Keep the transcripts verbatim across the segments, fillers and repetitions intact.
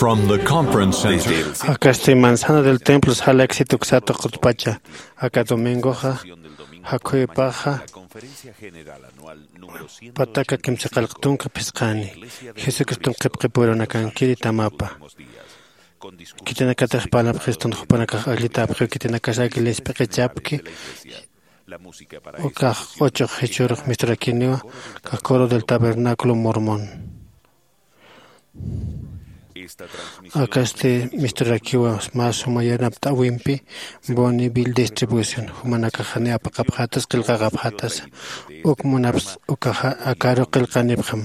From the conference center. Desde el Akasti manzana del templo sala éxito ksatu qutpacha. Aka domingoxa, jakhuypaxa, pataka kimsa qallq tunka phisqani, Jesucriston qhipqipurunakankiri tamapa. Khitinakatix parlapxistun jupanakax allitapxiw, khitinakasa iglesia p'iqichapki, ukax q'uchux jichhürux misturakiniwa, ukax coro del tabernáculo mormón. Akasti misturakiwa mä suma yanapt'äwimpi, Bonneville Distribution, jumanakax janiw apaqapxätas, qillqaqapxätasa, uk munaps ukaxa akaru qillqanipxam.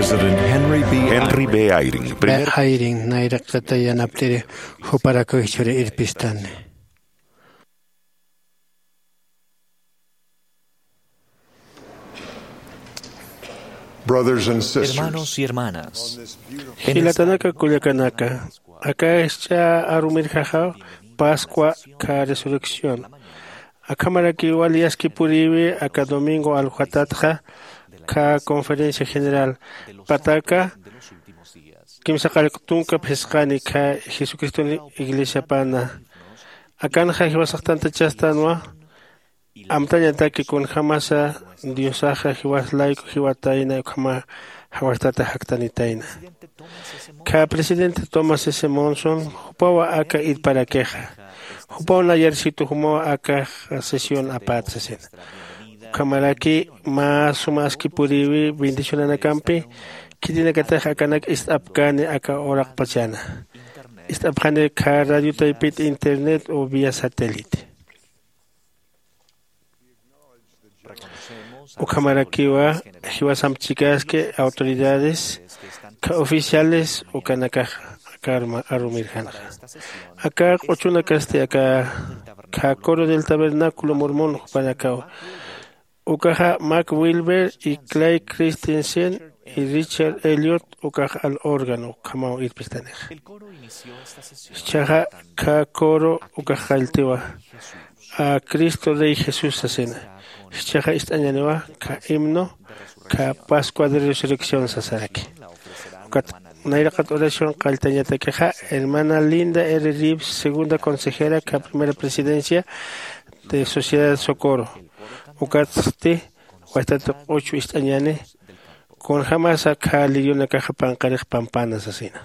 President Henry B. Henry B. Eyring, primer Eyring, nayraqata yanapt'iri, juparakiw jichhüri irpistani. Brothers and sisters, hermanos y hermanas, en esta jilatanaka kullakanaka, aka jichha arumirjaxa Pascua ka resurrección. Akhamarakiwa liyaskipuriwi aka domingo alwatatxa ka conferencia general. Pataka kimsa qallq tunka phisqani ka Jesucriston iglesiapana. Akanxa jiwasax tantachastanwa, amtañataki kunjamasa Diosaxa jiwas layku jiwatayna, ukhama jawastata jaktanitayna. Ka presidente Thomas S. Monson, jupawa aka irparakixa. Jupaw nayarsitu jumaw aka sesión apät sasina. Ukhamaraki mä suma askipuriwi bendicionanakampi, khitinakatix akanak ist'apkani aka uraqpachana. Ist'apxani ka radio taypit, internet o vía satélite. Ukhamarakiwa jiwasamp chikaski autoridades, ka oficiales ukanakax aka arma-, arumirjanxa. Aka q'uchunakasti aka ka coro del tabernáculo mormón jupanakaw. Ukaxa Mark Wilber y Clay Christensen y Richard Elliot ukax al órgano ukhamaw irpistanixa. Jichhaxa ka coro ukax qalltiwa, a Cristo Rey Jesús sasina. Jichhaxa ist'añaniwa ka himno ka Pascua de Resurrección sasaraki. Ukat nayraqat oración qalltañatakixa hermana Linda R. Reeves, segunda consejera ka primera presidencia de Sociedad Socorro. Ukatsti waytata q'uchw ist'añani, kunjamasa ka lirionakaxa panqarix pampana sasina.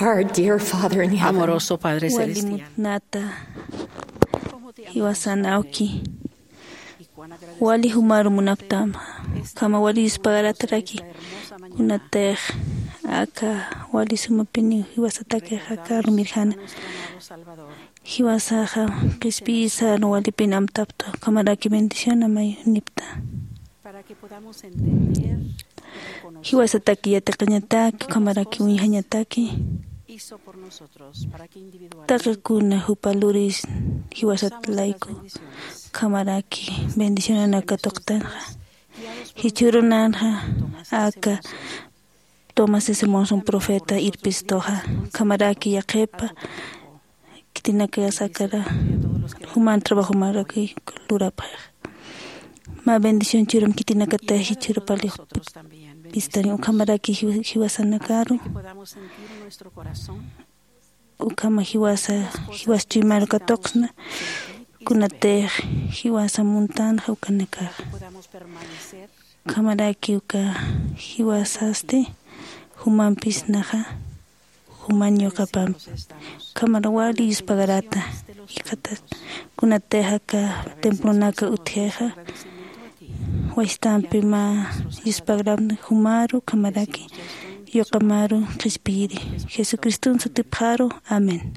Our dear Father in heaven. Amoroso Padre celestial. Wali mutnata, jiwasan awki. Wali jumaru munaptam, ukhama wali yuspagarataraki. Kunatix aka wali sumapiniw jiwasatakix aka arumirjana. Jiwasaxa qhispiyisa, walipin amtapta, ukhamaraki bendición amay nipta. Jiwasataki yatiqañataki, ukhamaraki uñjañataki. Taqikuna jupa luris jiwasat layku, ukhamaraki bendicionanak katuqtanxa. Jichhürunanxa aka Tomás S. Monson profeta irpistuxa, ukhamaraki yaqhipa khitinakasakara juman trabajomaraki lurapxix. Mä bendición churam khitinakatix jichhürupalix pistani, ukhamaraki jiw-, jiwasanakaru. Ukhama jiwasa, jiwas chuymaru katuqsna, kunatix jiwasa muntanxa ukanakaxa. Ukhamaraki uka jiwasasti, jumampis naxa, juman ñuqapampi. Ukhamar wali yuspagarata, jikxatat, kunatix aka templonaka utjixa, wastampi mä yuspagarampi jumaru, ukhamaraki yuqamaru qhispiyiri. Jesucriston sutipxaru. Amén.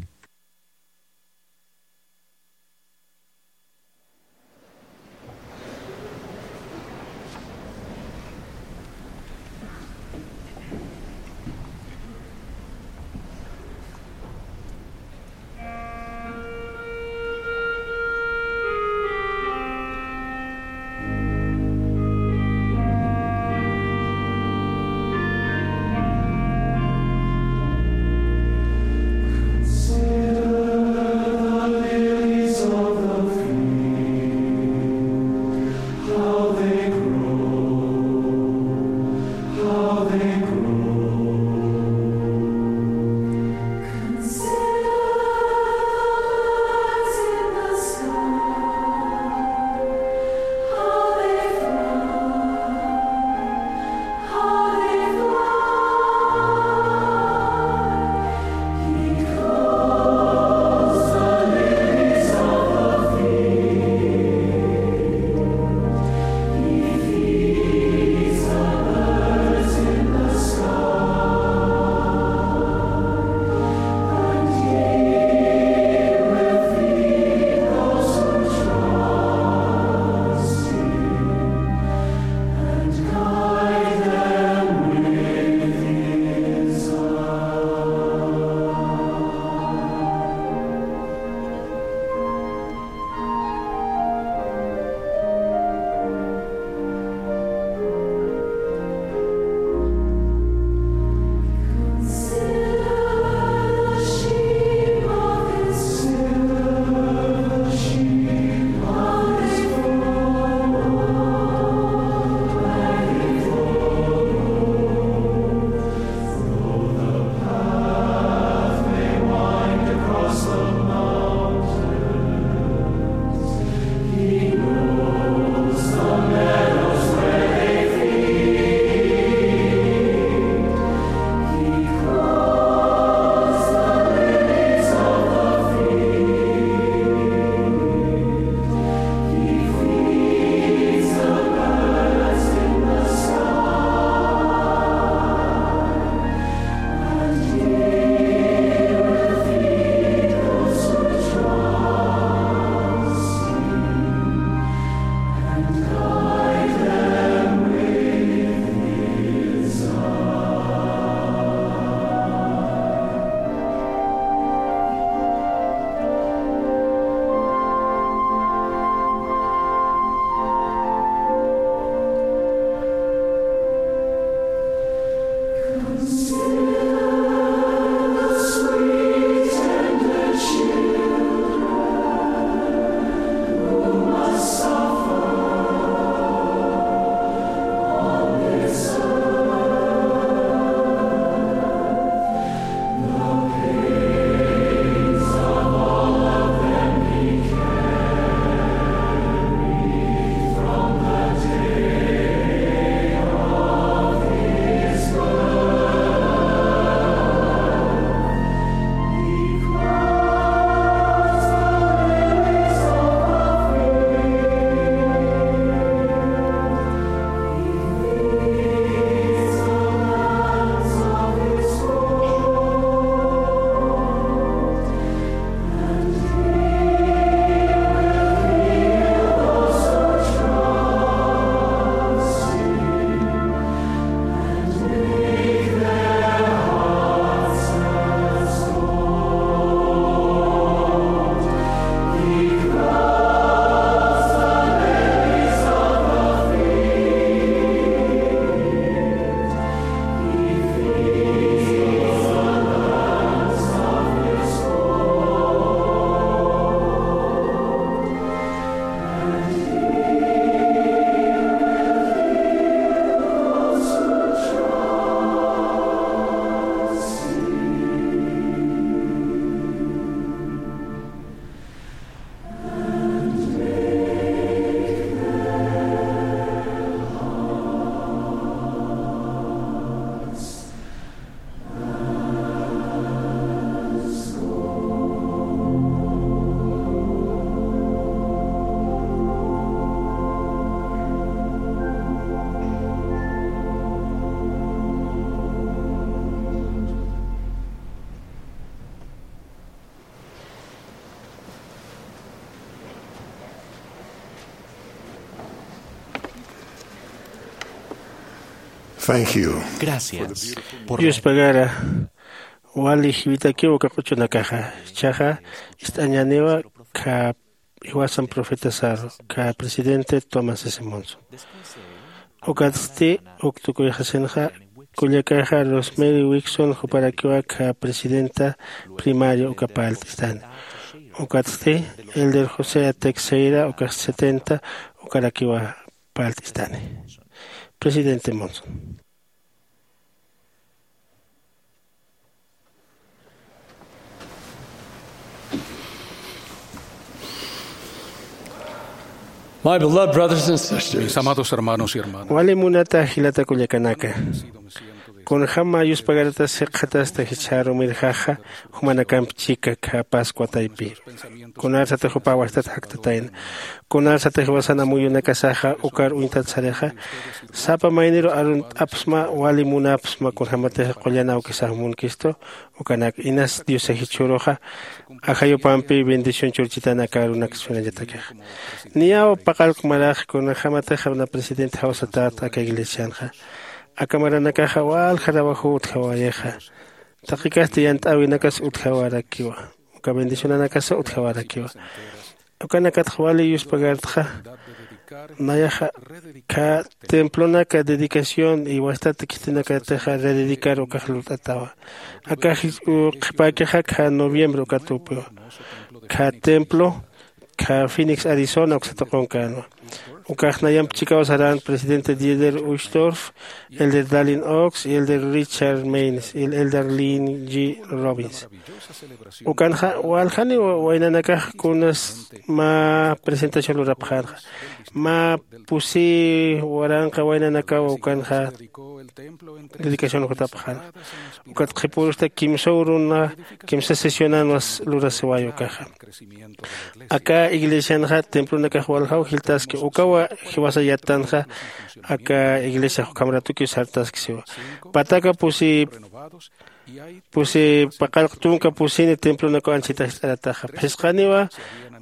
Thank you. Gracias. Yuspagara wali jiwitakiw uka q'uchunakaxa. Chaxa ist'añaniwa kha jiwasan profeta saru kha presidente Thomas S Monson. Ukatsti uk tukuyxasinxa kullakaxa Rosemary Wixon juparakiwa kha presidenta primaria uka parlt'istani. Ukatsti elder José Texeira ukax setenta ukarakiwa parlt'istani. Presidente Monson. My beloved brothers and sisters, mis amados hermanos y hermanas, wali munata jilata kullakanaka, kunjama yuspagaratas jikxatasta jichharumirjaxa jumanakamp chika kha pascua taypi, kunarsatix jupa wastat jaktatayna, kunarsatix jiwasan amuyunakasaxa ukar uñtat sarixa, sapa mayniru arunt'apsma wali munapsma kunjämatix qullan awkisax munkistu. Ukanak inas diosa jichhüruxa ajayupampi bendición churchitan aka arunaksa finañatakixa. Niyaw paqallq marax kunjämatix na presidente jawsatäta aka iglesianxa, aka maranakaxa walja trabajow utjawayixa, taqikasti yant'äwinakas utjawarakiwa, uka bendicionanakasa utjawarakiwa. Ukanakatxa wali yuspagartxa, nayaxa kha templonaka dedicación y wastat khitinakatixa rededicar ukax lurt'atawa. Akax qhipäkixa kha noviembre ukat upiwa, kha templo kha Phoenix Arizona uksa tuqunkänwa. Ukax nayamp chikaw sarän presidente Dieter Uchtdorf, elder Dallin Oaks y elder Richard Maynes y elder Lynn G Robbins. Ukanxa waljaniw waynanakax kunas mä presentación lurapxänxa, mä pusi waranqa waynanakaw ukanxa dedicación jutapxänxa. Ukat qhipürusta kimsa uruna kimsa sesionanwas lurasiway ukaxa. Aka iglesianxa templonakax waljaw jiltaski ukawa jiwasa yattanxa. Aka iglesiax ukhamratukiw sartaski siwa, pataka pusi pusi paqallq tunka pusini templonakaw anchhitax ist'arataxa phisqaniwa.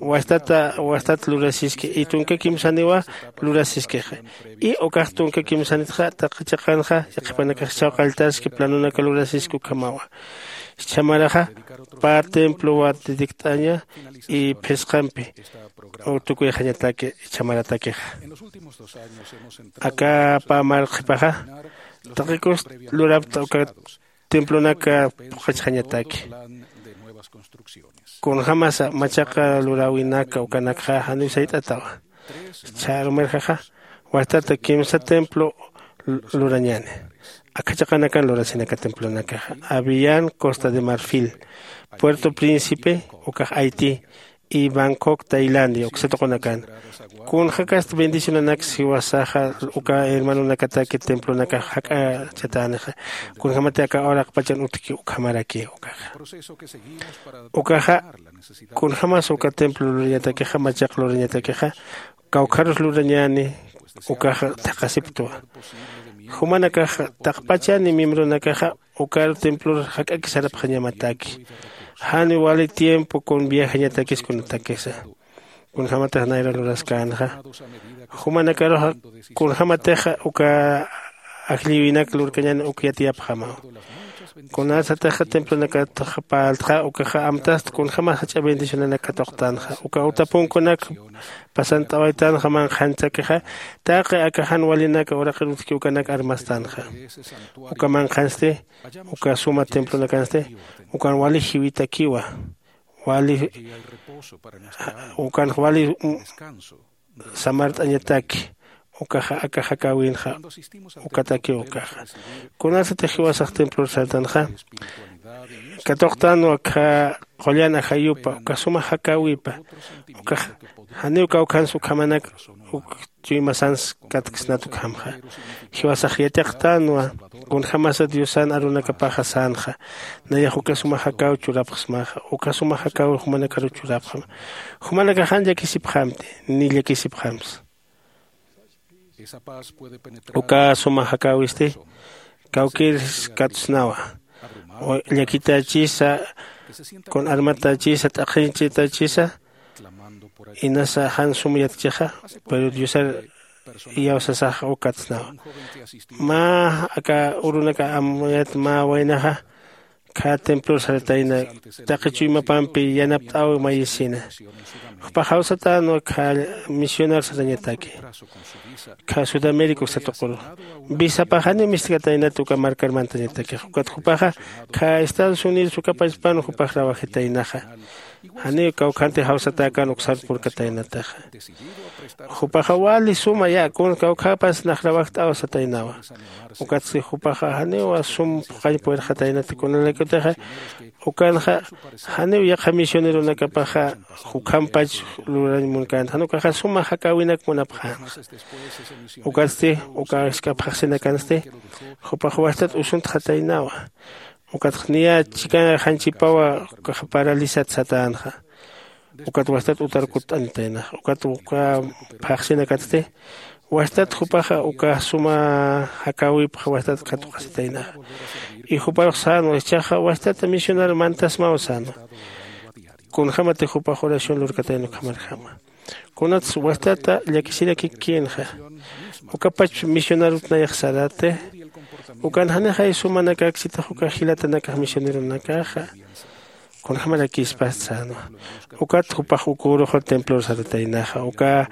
Wastata wastat lurasiski y tunka kimsaniwa lurasiskixa. Y ukax tunka kimsanitxa taqi chiqanxa yaqhipanakax chhawqalltaski planonaka lurasiski ukhamawa. Chhamaraxa pä templowa dedict'aña y phisqampi tukuyxañataki chhamaratakixa. Aka pä marqhipaxa taqikust lurapta uka templonaka phuqhachxañataki. Kunjämasa machaqa luräwinaka ukanakxa janiw sayt'atawa. Chharumirjaxa wastata kimsa templo lurañäni. Akha chiqanakan lurasinaka templonakaxa avian costa de marfil, puerto príncipe ukax haití, y bangkok tailandia uksa tuqunakan. Kunjakast bendicionanaks jiwasaxa uka hermanonakataki templonakax jak'achatänixa. Kunjämati aka uraqpachan utjki ukhamaraki ukaxa. Ukaxa kunjämas uka templo lurañatakixa machaq lurañatakixa kawkharus lurañäni. Ukaxa thaqhasipktwa. Jumanakaxa taqpachani miembronakaxa ukar templor jak'aki sarapxañamataki. Jani wali tiempo kun viajañatakis kunatakisa. Kunjämatix nayra luraskänxa jumanakaruxa kunjämatixa uka ajllïwinak lurkañan uk yatiyapxamaw. Kunasatixa templonakatxa parltxa ukaxa amtast kunjämas jach'a bendicionanak katuqtanxa uka utapunkunak pasant'awaytanxa manqhanchakixa. Taqi aka jan walinaka uraqir utjki ukanak armastanxa. Uka manqhansti uka suma templonakansti ukan wali jiwitakiwa. Wali ukanx wali samart'añataki. Ukaxa aka jakäwinxa ukatakiw ukaxa. Kunasatix jiwasax templor sartanxa katuqtanwa kha qullan ajayupa uka suma jakäwipa. Ukax janiw kawkhans ukhamanak uk chuymasans katksnat ukhamxa. Jiwasax yatiqtanwa kunjämasa diosan arunakapaxa sänxa. Nayax uka suma jakäw churapxsmaxa uka suma jakäw jumanakaru churapxma. Jumanakax jan llakisipxamti ni llakisipxamsa. Uka suma jakäwisti kawkïrs katsnawa llakitachisa kun armatachisa t'aqhinchitachisa. Inasa jan sum yatchixa pero diosar iyawsasaxa ukatsnawa. Mä aka urunaka amuyat mä waynaxa khä templor saratayna taqi chuymapampi yanapt'äwi mayisina. Jupax jawsatänwa khä misionar satañataki khä sudamérica uksatuquru. Visapax janiw mistkataynat uka markar mantañatakix ukat jupaxa khä estados unidos ukapachpan jupax rawajitaynaxa. Janiw kawkhanti jawsatäkän uksar purkataynataxa. Jupaxa wali suma ya kun kawkhapas nax rawajt'aw sataynawa. Ukatsti jupaxa janiw sum phuqañ puerxataynati kunalaykutixa ukanxa janiw yaqha misioneronakapaxa jukhampach lurañ munkänti jan ukaxa suma jakäwinak munapxänxa. Ukatsti uka jisk'a phaxsinakansti jupax wajtat usuntxataynawa. Ukatx niya chikan janchipawa ukaxa paralisat satänxa. Ukat wajtat utar kutt'anitaynaxa ukat uka phaxsinakatsti wajtat jupaxa uka suma jakäwipxa wajtat katuqasitaynaxa. Y juparux sänwa jichhaxa wajtat misionar mantasmaw sänwa. Kunjämatix jupax oración lurkatayna ukhamarjama. Kunatsa wajtata llakisirakikkinxa ukapach misionarut nayax sarati. Ukan janixay sumanakaksitix uka jilatanakax misioneronakaxa kunjämarakïspasti sänwa. Ukat jupax uk uruxa templor sarataynaxa uka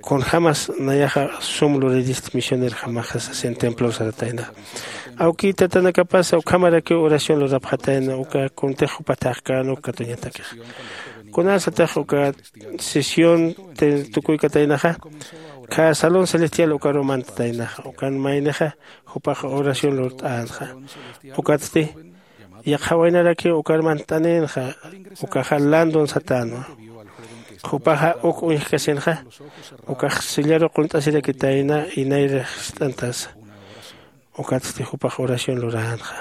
kunjämas nayaxa sum luriristi misionerjamaxa sasin templor sarataynaxa. Awkïtatanakapasa ukhamarakiw oración lurapxatayna uka kuntix jupa thaqkänuk katuñatakixa. Kunasatix uka sesión tukuykataynaxa khä salón celestial ukaruw mantataynaxa ukan maynixa jupax oración lurt'änxa. Ukatsti yaqha waynarakiw ukar mantt'aninxa. Ukaxa landon satänwa. Jupaxa uk uñjkasinxa ukax sillaru qunt'asirakitayna inayra jist'antasa. Ukatsti jupax oración luränxa.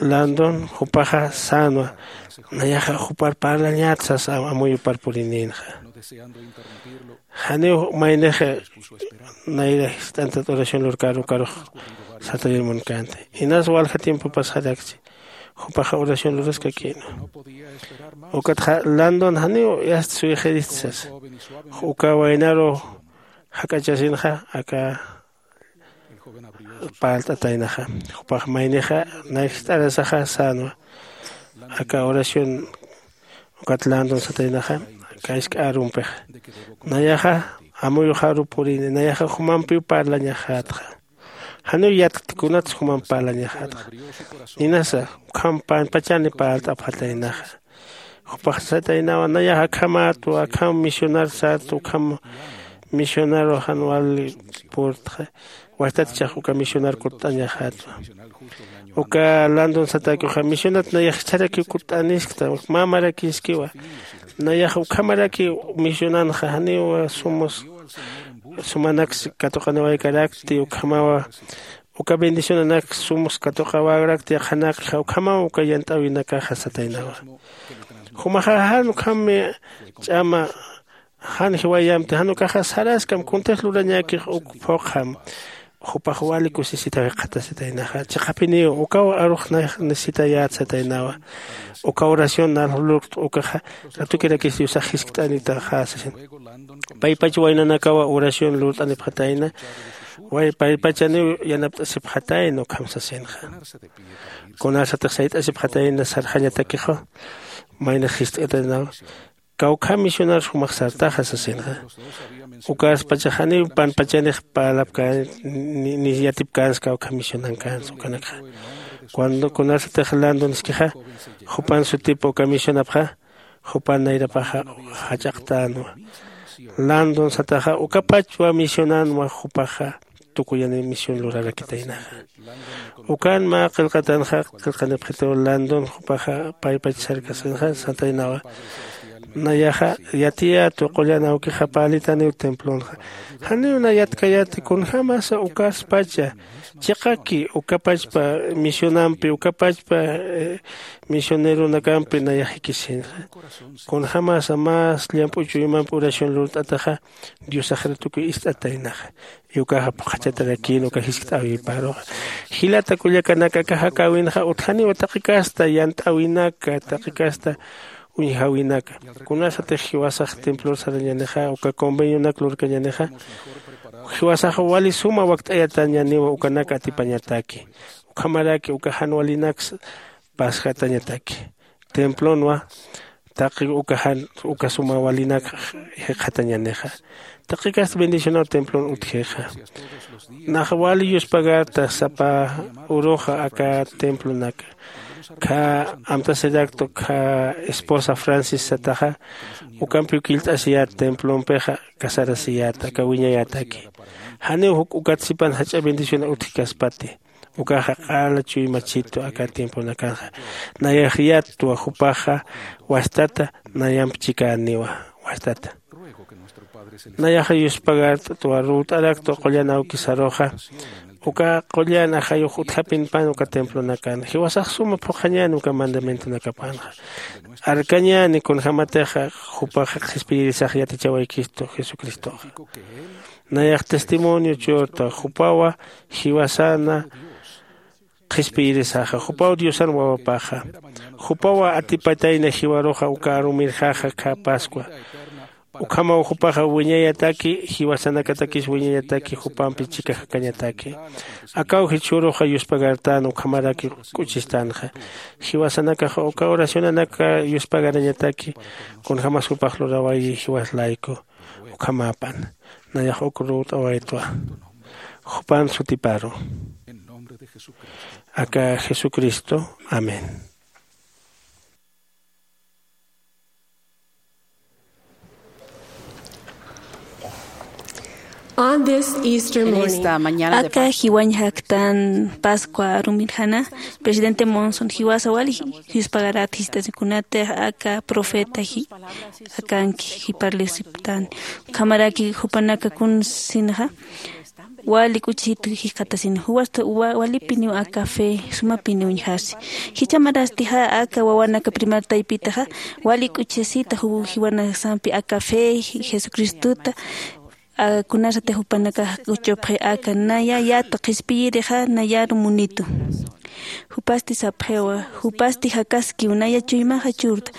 Landon jupaxa sänwa nayaxa jupar parlañät sasa amuyupar purininxa. Janiw maynix nayra jist'antat oración lurkar ukarux satayir munkänti. Inas walja tiempo pasxarakchi jupaxa oración luraskakïnwa. Ukatxa landon janiw yast suyxirist sasa. Uka waynaru jak'achasinxa aka parlt'ataynaxa. Jupax maynixa nay jist'arasaxa sänwa aka oración ukat landon sataynaxa aka isk'a arumpixa. Nayaxa amuyuxaru purini nayaxa jumampiw parlañaxätxa. Janiw yatkti kunatsa jumamp parlañaxätxa. Ninasa ukham panpachani parlt'apxataynaxa. Jupax sataynawa nayax akhamätwa akham misionar sät ukham misionaru jan wali purtxa. Wajtat ichax uka misionar kutt'añaxätwa. Uka landon satäkixa misionat nayax jichharakiw kutt'aniskta mä marakiskiwa. Nayax ukhamarakiw misionanxa janiw sumus sumanaks katuqaniwaykarakti ukhamawa uka bendicionanak sumus katuqawärakti yaqhanakxa ukhamaw uka yant'äwinakaxa sataynawa. Jumaxa jan ukham ch'ama jan jiwayamti jan ukaxa saraskam kuntix lurañäkix uk phuqham. Jupax wali kusisitaw jikxatasitaynaxa chiqapiniw ukaw arux necesitayät sataynawa. Uka oración nal lurkt'u ukaxa ratukirakis diosax jiskt'anitaxa sasin. Paypach waynanakawa oración lurt'anipxatayna. Paypachaniw yanapt'asipxatayna ukham sasinxa. Kunasatix sayt'asipxatayna sarxañatakixa maynax jist'ataynawa. Kawkham misionar jumax sartaxa sasinxa. Ukaspachax janiw panpachanix parlapkän ni yatipkänsa kawkham misionankäns ukanakxa. Cuando kunasatix landon iskixa jupan sutipa uka misionapxa jupan nayrapaxa jach'aqtänwa. Landon sataxa ukapachwa misionanwa jupaxa tukuyani mision lurarakitaynaxa. Ukan mä qillqatanxa qillqanipxitiw landon jupaxa paypach sarkasinxa sataynawa. Nayaxa yatiyätwa qullan awkixa parlitaniw templonxa. Janiw nay yatkayäti kunjämasa ukaspacha chiqaki ukapachpa misionampi ukapachpa misioneronakampi nayax jikisinxa. Kunjämasa más llamp'u chuymampi oración lurt'ataxa diosaxir tukuy ist'ataynaxa. Ukaxa phuqhachatarakïn uka jiskt'äwiparuxa. Jilata kullakanaka aka jakäwinxa utjaniwa taqi kasta yant'äwinaka taqi kasta uñjäwinaka. Kunasatix jiwasax templor sarañänixa uka convenionak lurkañänixa, jiwasax wali suma wakt'ayatañäniwa ukanak atipañataki. Ukhamaraki uka jan walinaksa pasxatañataki templonwa. Taqi uka jan uka suma walinak jikxatañänixa, taqi kasta bendicionaw templon utjixa. Nax wali yuspagarta sapa uruxa aka templonaka. Kha amtasiraktu kha esposa francis sataxa, ukampiw killt'asiyät templompixa, casarasiyät aka wiñayätaki. Janiw juk ukat sipan jach'a bendición utjkaspati. Ukaxa q'ala chuymachitu aka tiemponakanxa. Nayax yatwa jupaxa wastata, nayamp chikäniwa wastata. Nayaxa yuspagart'twa ruwt'araktwa qullan awkisaruxa. Uka qullan ajayux utjapinpan uka templonakan jiwasax suma phuqhañän uka mandamientonakapanxa. Arkañäni kunjämatixa jupax qhispiyirisax yatichawaykistu jesucristoxa. Nayax testimonio churta jupawa jiwasana qhispiyirisaxa, jupaw diosan wawapaxa. Jupawa atipatayna jiwaruxa uka arumirxaxa kha pascua. Ukhamaw jupaxa wiñayataki jiwasanakatakis wiñayataki jupampi chika jakañataki. Akaw jichhüruxa yuspagartän ukhamaraki k'uchistanxa. Jiwasanakaxa uka oracionanaka yuspagarañataki. Kunjämas jupax lurawayi jiwas layku. Ukhamäpan nayax uk ruwt'awaytwa jupan sutiparu. Aka jesucristo. Amén. On this Easter morning, aka jiwañ jaktan pascua arumirjana, presidente monson jiwasa wali jispagarat jist'asikunatix aka profeta akanki jiparlisiptan. Ukhamaraki jupanaka kunsinxa wali k'uchisitu jikxatasin juwasta walipiniw aka fe sumapiniw uñjarsi. Jichhamarastixa aka wawanaka primer taypitaxa wali k'uchisita jiwanasampi aka fe jesucristuta kunasatix jupanakax k'uchupxi aka naya yatu qhispiyirixa nayaru munitu. Jupasti sapxiwa jupasti jakaskiw naya chuymaxa churta.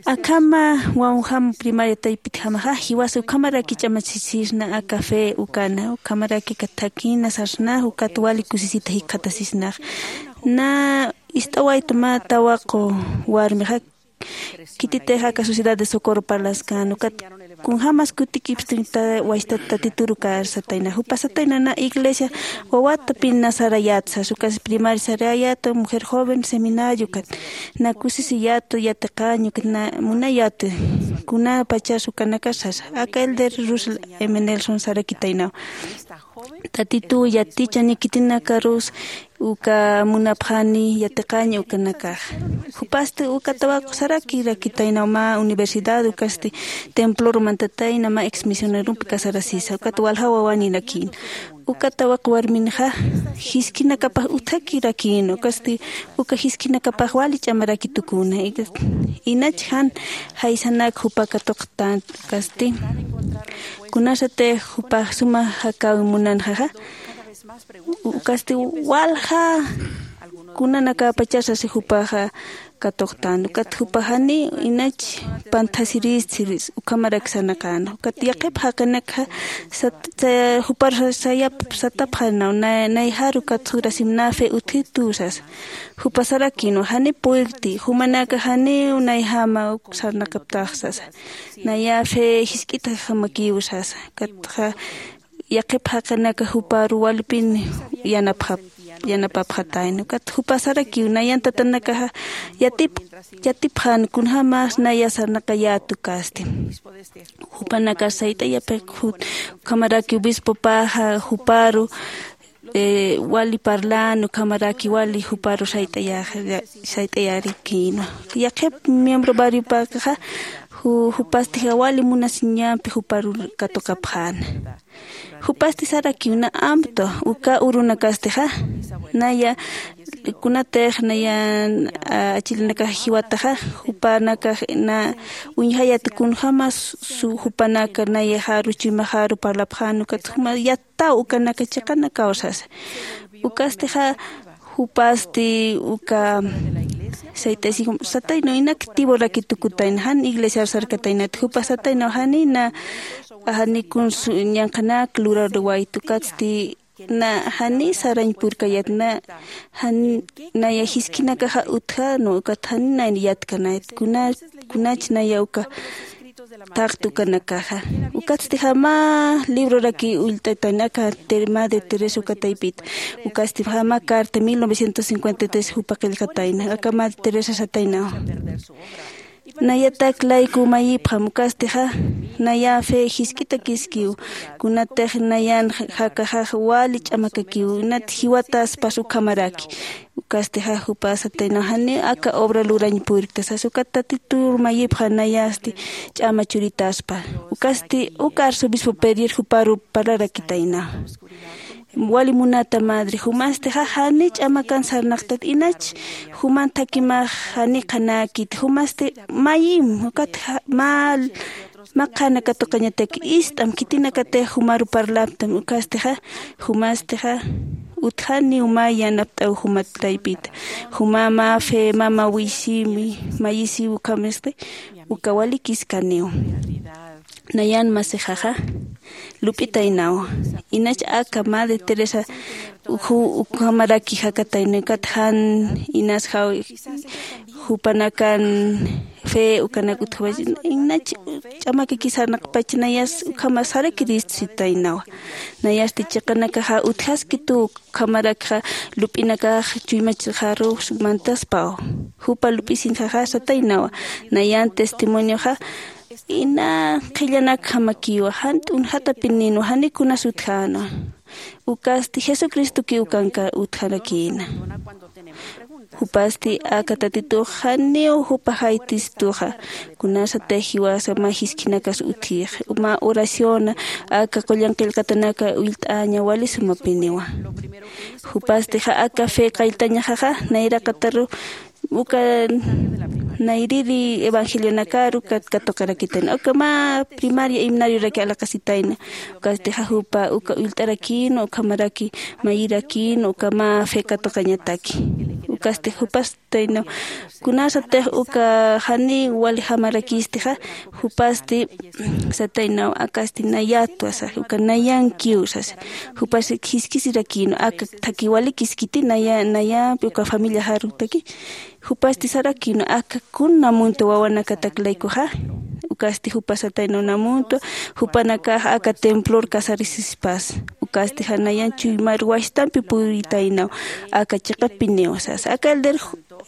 Akhama wawjam primaria taypitjamaxa jiwasa ukhamaraki ch'amachisisna aka fe ukana ukhamaraki aka thakina sarsna ukat wali kusisita jikxatasisnax. Na ist'awaytu mä tawaqu warmixa khititix aka sociedad de socorro parlaskan ukat kunjämas kutikipsti wachtat tatituru kar satayna jupa satayna na iglesia wawatapin na sarayät sas ukas primaria sarayäta mujer joven seminario ukat na kusisiyätu yatiqañ ukat na munayätu. Kunapachas ukanakar sasa aka elder russell m nelson sarakitaynaw. Tatituw yatichani khitinakarus uka munapxani yatiqañ ukanakax. Jupasti uka tawaqu sarakirakitaynaw mä universidad ukasti temploru mantatayna mä exmisionerumpi casarasisa ukat walja wawanirakïna. Uka tawaqu warminxa jiskinakapax utjakirakïna ukasti uka jiskinakapax wali ch'amaraki tukuna. Inach jan jaysanak jupa katuqtan ukasti kunasatix jupax suma jakawi munanxaxa. Ukasti walja kunanakapachasasi jupaxa katuqtan ukat jupaxani inach panthasiristsi ukhamarak sarnaqäna ukat yaqhip jaqinakxa jupar sayap satapxanaw nayjar ukat surasim na fe utjitu sasa. Jupa sarakïnwa jani puykti jumanaka janiw nayjama uk sarnaqaptax sasa. Naya fe jisk'itjamakiw sasa ukatxa yaqhip jaqinaka juparu walipin yanapxap yanapapxatayna ukat jupa sarakiw nayan tatanakaxa yatip yatipxan kunjämas naya sarnaqayät ukasti. Jupanakar sayt'ayapix ukhamaraki obispopaxa juparu wali parlan ukhamaraki wali juparu sayt'ayarikïnwa. Yaqhip miembro barriopakaxa jupastixa wali munasiñampi juparu katuqapxäna. Jupasti sarakiw na amtwa uka urunakastixa naya kunatix nayan achilinakax jiwataxa jupanakax na uñjayat kunjämas jupanaka nayaxaru chuymaxaru parlapxän ukat juma yattaw ukanaka chiqanakaw sasa. Ukastixa jupasti uka Sayt'asi sataynaw inak tiburaki tukutayna jan iglesiar sarkataynat jupa sataynaw janina. Janikun ñanqanak lurarwaytu katsti na jani sarañ purkayat na jan naya jiskinakaxa utjanu ukat jani naya yatkanayat kuna kunach naya uka taqtukanakaxa. Ukatsti jama libroraki ullt'atayna aka madre teresa ukataypita. Ukasti jama carta mil novecientos cincuenta y tres jupa qillqatayna aka madre teresa sataynaw. Nayatak layku mayipxam ukastixa naya fe jisk'itakiskiw. Kunatix nayan jakaxax wali ch'amakakiw inat jiwataspas ukhamaraki. Ukastixa jupa sataynaw janiw aka obra lurañ purkta sas ukat tatitur mayipxa nayasti ch'ama churitaspa. Ukasti uka arzobispo pedir juparu parlarakitaynaw. Wali munata madre jumastixa jani ch'amakan sarnaqtat inach juman thakimax jani qhanäkit jumasti mayim ukat mä mä qhana katuqañataki ist'am khitinakatix jumaru parlaptam ukastixa jumastixa utjaniw mä yanapt'aw jumat taypita. Juma mä fe mä mawisiw mayisiw ukhamisti uka walikiskaniw. Nayan masixaxa lup'itaynaw inach aka madre teresa ukhamaraki jakataynaw ukat jan inas jaw jupanakan fe ukanak utjawach inach ch'amakaki sarnaqpach nayas ukhama sarakirist sitaynawa. Nayasti chiqanakaxa utjaskitu ukhamarakxa lup'inakax chuymachxarux mantaspaw. Jupa lup'isinxaxa sataynawa nayan testimonioxa ina qhillanakjamakiwa jan t'unjatapinïnwa jani kunas utjänwa. Ukasti jesucristokiw kanka utjarakïna. Jupasti aka tatitux janiw jupa jaytistuxa kunasatix jiwasa mä jiskhinakas utjix mä oraciona aka qullan qillqatanaka ullt'aña wali sumapiniwa. Jupastixa aka fe qalltañaxaxa nayraqataru uka nayriri evangelionakaru katuqarakitayna uka mä primaria himnarioraki alaqasitayna. Ukastixa jupa uka ullt'arakïnwa ukhamaraki mayirakïnwa uka mä fe katuqañataki. Ukasti jupastaynaw kunasatix uka janiw waljamarakistixa jupasti sataynaw akasti nayatwa sasa uka nayankiw sasa. Jupasti jiskisirakïnwa aka thaki walikiskiti naya nayampi uka familiaxarutaki. Jupasti sarakïnwa aka kuna muntwa wawanakatak laykuxa. Ukasti jupa sataynaw namuntwa jupanakax aka templor casarisispas. Ukasti janayan chuymar washtampi puritaynaw aka chiqapiniw sasa aka elder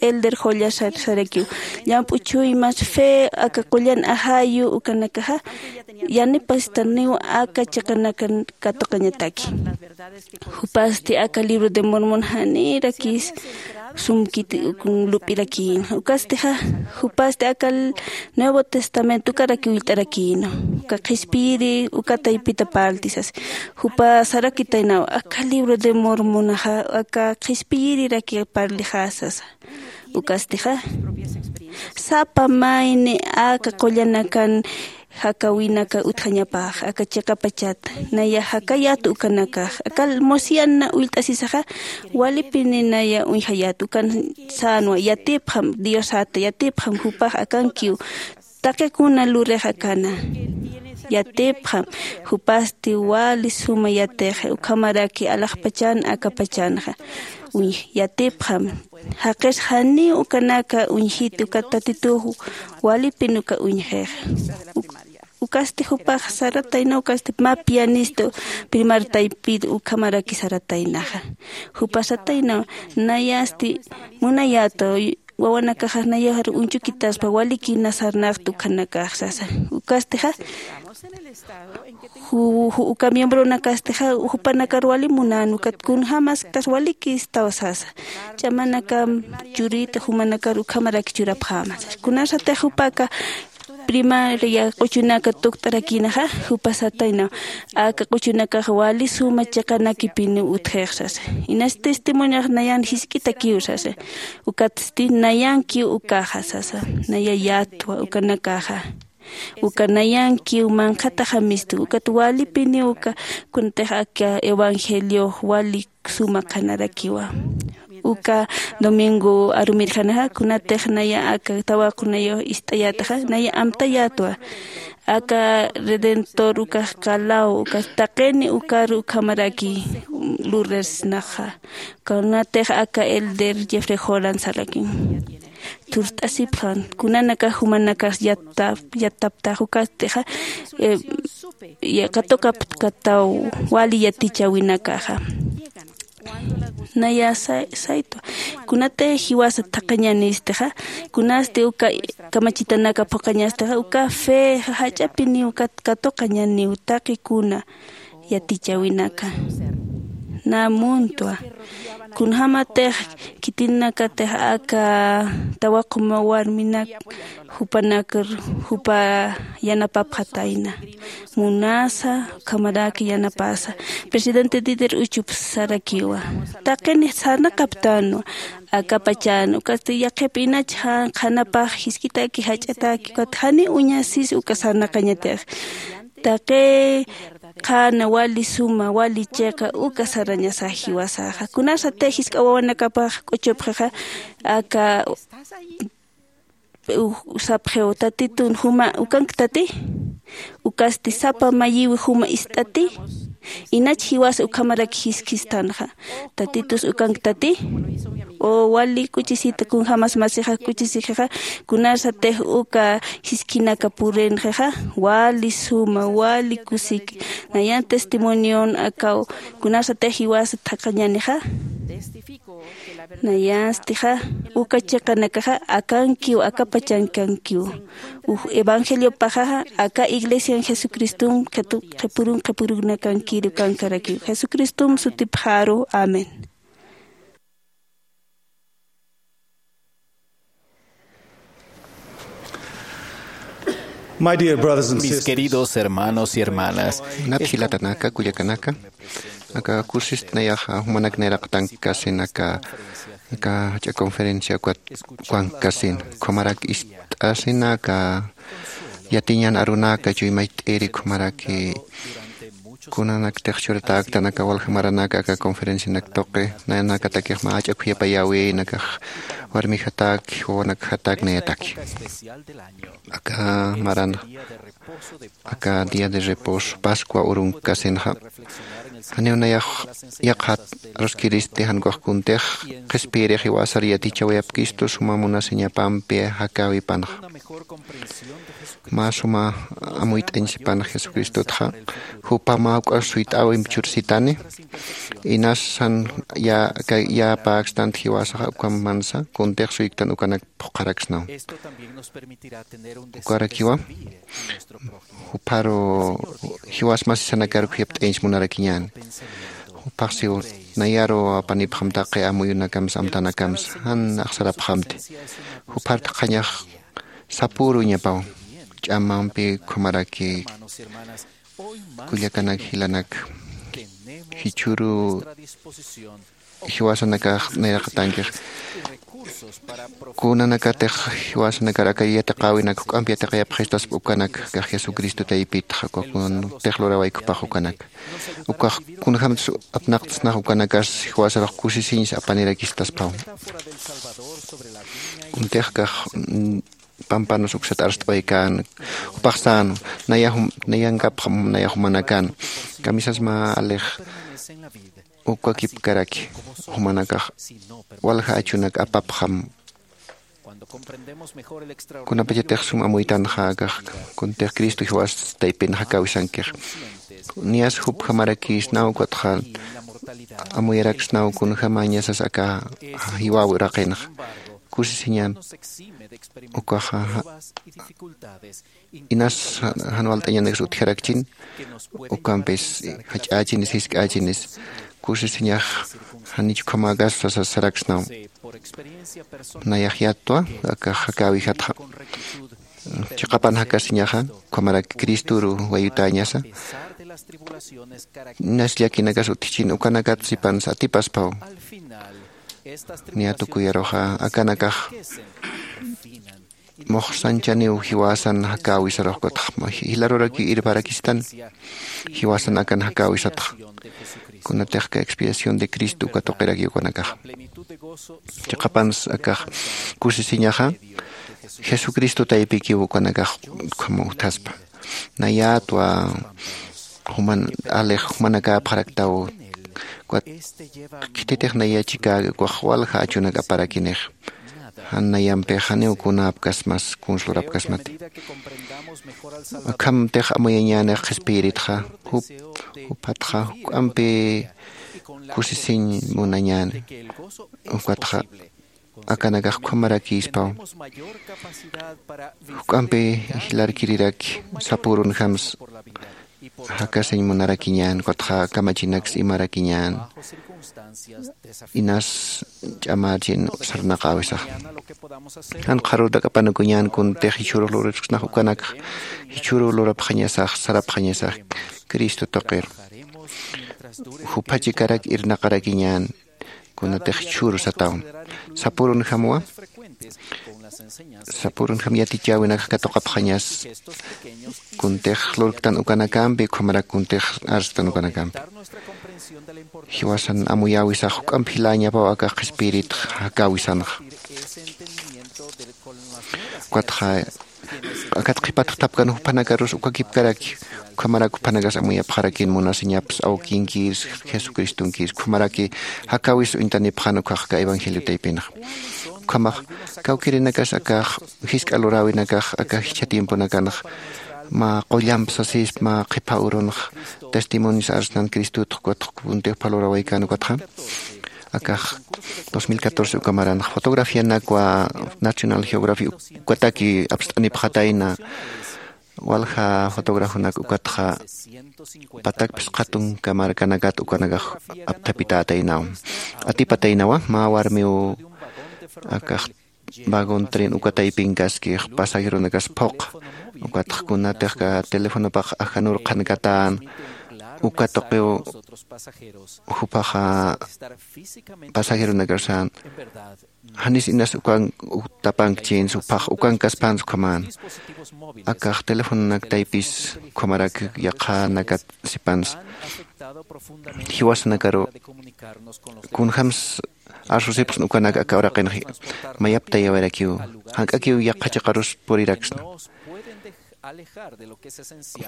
elder qullasar sarakiw llamp'u chuymas fe aka qullan ajayu ukanakaxa yanipastaniw aka chiqanakan katuqañataki. Jupasti aka libro de mormon janirakis sumkiti lup'irakïna ukastixa jupasti aka nuevo testamento ukaraki ullt'arakïna uka qhispiyiri uka taypita parlti sasa. Jupa sarakitaynaw aka libro de mormonaxa aka qhispiyiriraki parlixä sasa. Ukastixa sapa mayni aka qullanakan jakawinaka utjañapax aka chiqapachata naya jakayat ukanakax aka mosiana ullt'asisaxa walipini naya uñjayat ukan sänwa yatipxam diosata yatipxam jupax akankiw. Taqikuna lurix akana yatipxam jupasti wali suma yatix ukhamaraki alaxpachan akapachanxa uñj yatipxam. Jaqis janiw ukanaka uñjiti ukat tatitux walipin uka uñjix. Ukasti jupax saratayna ukasti mä pianisto primar taypit ukhamaraki sarataynaxa. Jupa satayna nayasti munayäta wawanakaxar nayaxar uñchukitaspa walikina sarnaqta ukhanakax sasa. Ukastixa uka miembronakastixa jupanakar wali munän ukat kunjämaskas walikistaw sasa. Ch'amanakam churïta jumanakar ukhamaraki churapxäma sasa kunasatix jupaka primaria q'uchunaka tukt'arakïnaxa. Jupa satayna aka q'uchunakax wali suma chiqanakipiniw utjix sasa. Inas testimoniox nayan jisk'itakiw sasa. Ukatsti nayankiw ukaxa sasa. Naya yatwa ukanakaxa uka nayankiw manqhataxamistu ukat walipiniw uka kunatix aka evangeliox wali suma qhanarakiwa. uka domingo arumirjanaxa, kunatix naya aka tawaqunayux ist'ayätaxa, naya amtayätwa. Aka Redentor ukax qalaw, ukax taqini ukaru ukhamaraki luresnaxa. Kunatix aka elder Jeffrey Holland sarakin. Thurt'asipxan, kunanakax jumanakax yattap-, yattaptax ukastixa, eh, ya-, katuqapkataw wali yatichäwinakaxa. Naya say-, saytwa. Kunatix jiwasa thaqhañänistixa, kunasti uka kamachitanaka phuqhañastixa, uka fe jach'apiniw kat-, katuqañäniw taqikuna yatichäwinaka. Nä muntwa. Kunjämatix khitinakatix aka tawaquma warminak jupanakar jupa yanapapxatayna. Munasa, ukhamarak yanapasa. Presidente Dieter Uchtdorf sarakiwa. Taqini sarnaqaptanwa. Akapachan, ukasti yaqhip inach jan qhanapax jiskitaki jach'ataki, ukat jani uñasis uka sarnaqañatix. Taqi qhana wali suma, wali chiqa, uka sarañasa jiwasaxa. Kunasatix jisk'a wawanakapax k'uchupxixa, aka u-, sapxiw, Tatitun juma ukanktati, ukasti sapa mayiwi juma ist'ati, inach jiwas ukhamarak jiskistanxa. Tatitus ukanktati, o wali k'uchisita kunjämas masixa k'uchisixixa, kunasatix uka jiskinaka purinxixa, wali suma, wali kusik, nayan testimonion akaw, kunasatix jiwas thaqhañänixa. Nayastixa, uka chiqanakaxa akankiw, akapachankankiw. Uj evangeliopaxaxa, aka iglesian Jesucristom qhitu-, qhipürun qhipürunakankir ukankarakiw. Jesucristom sutipxaru. Amén. My dear brothers and sisters, mis queridos hermanos y hermanas, munat jilatanaka, kullakanaka, aka kusist nayaxa jumanak nayraqtankasin aka, aka jach'a conferencia ukat ukankasin, ukhamarak ist'asina aka yatiñan arunaka chuymacht'iri, ukhamaraki kunanaktix churatäktan aka walja maranaka aka conferencianak tuqi, nayanakatakix mä jach'a khuyapayäwïna, akax warmixatak, wawanakxatak, nayataki. Aka maran, aka día de reposo, Pascua urunkasinxa, janiw nayax yaqhat aruskiristi, jan ukax kuntix qhispiyirix jiwasar yatichäwayapkistwa suma munasiñapampi jakäwipanxa. Mä suma amuyt'añ sipan Jesucristotxa, jupa mä juk'as suyt'äwimp chursitani, inas jan ya, ka-, yäpäkstant jiwasaxa, ukham mansa kuntix suyktan ukanak phuqharaksnaw. Ukarakiwa, jupharu jiwas masisanakar khuyapt'añs munarakiñäni. Juphax siw nayaru apanipxam taqi amuyunakamsa, amtanakamsa, jan axsarapxamti. Juphartxañax sapüruñapaw, ch'amampi ukhamaraki kullakanak jilanak, jichhüru jiwasanakax nayraqatankix. Kunanakatix jiwasanakar aka yatiqäwinak juk'amp yatiqayapxistaspa ukanak, akax Jesucristo taypitxa, uka kuntix lurawaykupax ukanak. Ukax kunjämtsa apnaqtsnax ukanakas jiwasarux kusisiñsa apanirakistaspaw. Kuntix akax, mm, pampanus uksat arst'awaykäna, jupax sän, naya jum-, nayankapxam, naya jumanakäna. Kamisas mä alix ukakipkaraki, jumanakax walja achunak apapxam. Kunapachatix sum amuytanxa akax, kuntix Cristo jiwas taypin jakäwisankix. Niyas jupjamarakïsnaw, ukatxa amuyaraksnaw kunjämañasas aka jiwäw uraqinxa. Kusisiñan ukaxa, inas jan walt'añanaksa utjarakchin, ukampis jach'ächinis, jisk'ächinis, kusisiñax janich ukhamäkas sasa saraksnaw. Nayax yattwa, akax jakäwijatxa. Chiqapan jakasiñaxa, ukhamarak Cristoru wayutäñasa. Inas llakinakas utjchin, ukanakat sipansa atipaspaw. Niya tukuyaruxa, akanakax muxsanchaniw jiwasan jakäwisarux, ukatxa jilarurakiw irparakistan jiwasan akan jakäwisatxa. Kunatix aka expiación de Cristo uka tuqirakiw ukanakax. Chiqapansa akax kusisiñaxa jesucristo taypikiw ukanakax ukham uthaspa. Nayatwa juman alix jumanakäpxaraktaw. Ukat khititix naya chikäki ukax walja achunak aparakinix. Jan nayampix janiw kunäpkasmas kunslurapkasmati. Akhamtix amuyañänix qhispiyiritxa jup juphatxa juk'ampi kusisiñ munañäni. Ukatxa akanakax ukhamarakïspaw juk'ampi jilarkiriraki sapürunjams jakasiñ munarakiñän ukatxa kamachinaks imarakiñän. Inas ch'amächin sarnaqäwisax jan qharütak'apanukuñän kuntix jichhürux lurasksnax ukanakxa jichhüru lurapxañasax sarapxañasax cristo tuqir juphachikarak irnaqarakiñän. Kunatix jichhüru satawan sapürunjamwa sapürunjam yatichäwinakxa katuqapxañas kuntix lurktan ukanakampi ukhamarak kuntix arstan ukanakampi jiwasan amuyäwisax juk'amp jiläñapaw akax qhispiyiritxa jakäwisanxa. Ukatxa akat qhipat jutapkan juphanakarus ukakipkaraki ukhamarak juphanakas amuyapxarakin munasiñaps awkinkis jesucristonkis ukhamaraki jakäwis uñtanipxan ukkhax aka evangelio taypinxa. Ukhamax kawkirinakas akax jisk'a luräwinakax aka jichha tiemponakanxa mä qullamp sasispa mä qhipha urunxa testimonios arsnan cristotxa ukatxa kuntix phalurawaykan ukatxa akax dos mil catorce ukamaranxa fotografianakwa nacional geography ukataki apst'anipxatayna. Walja fotografonak ukatxa patak phisqatunka markanakat ukanakax apthapitätaynaw atipataynawa mä warmiw akax vagon tren uka taypinkaskix pasajeronakas phuq ukatx kunatix ka telefonopax ajanur qhankatäna uka tuqiw jupaxa pasajeronakasan janis inas ukan utapankchins upax ukankaspans ukhaman akax telefononak taypis ukhamarak yaqhanakat sipans jiwasanakaru kunjams arsusipxsna ukanak aka uraqinx mayaptayawayrakiw jank'akiw yaqha chiqarus puriraksna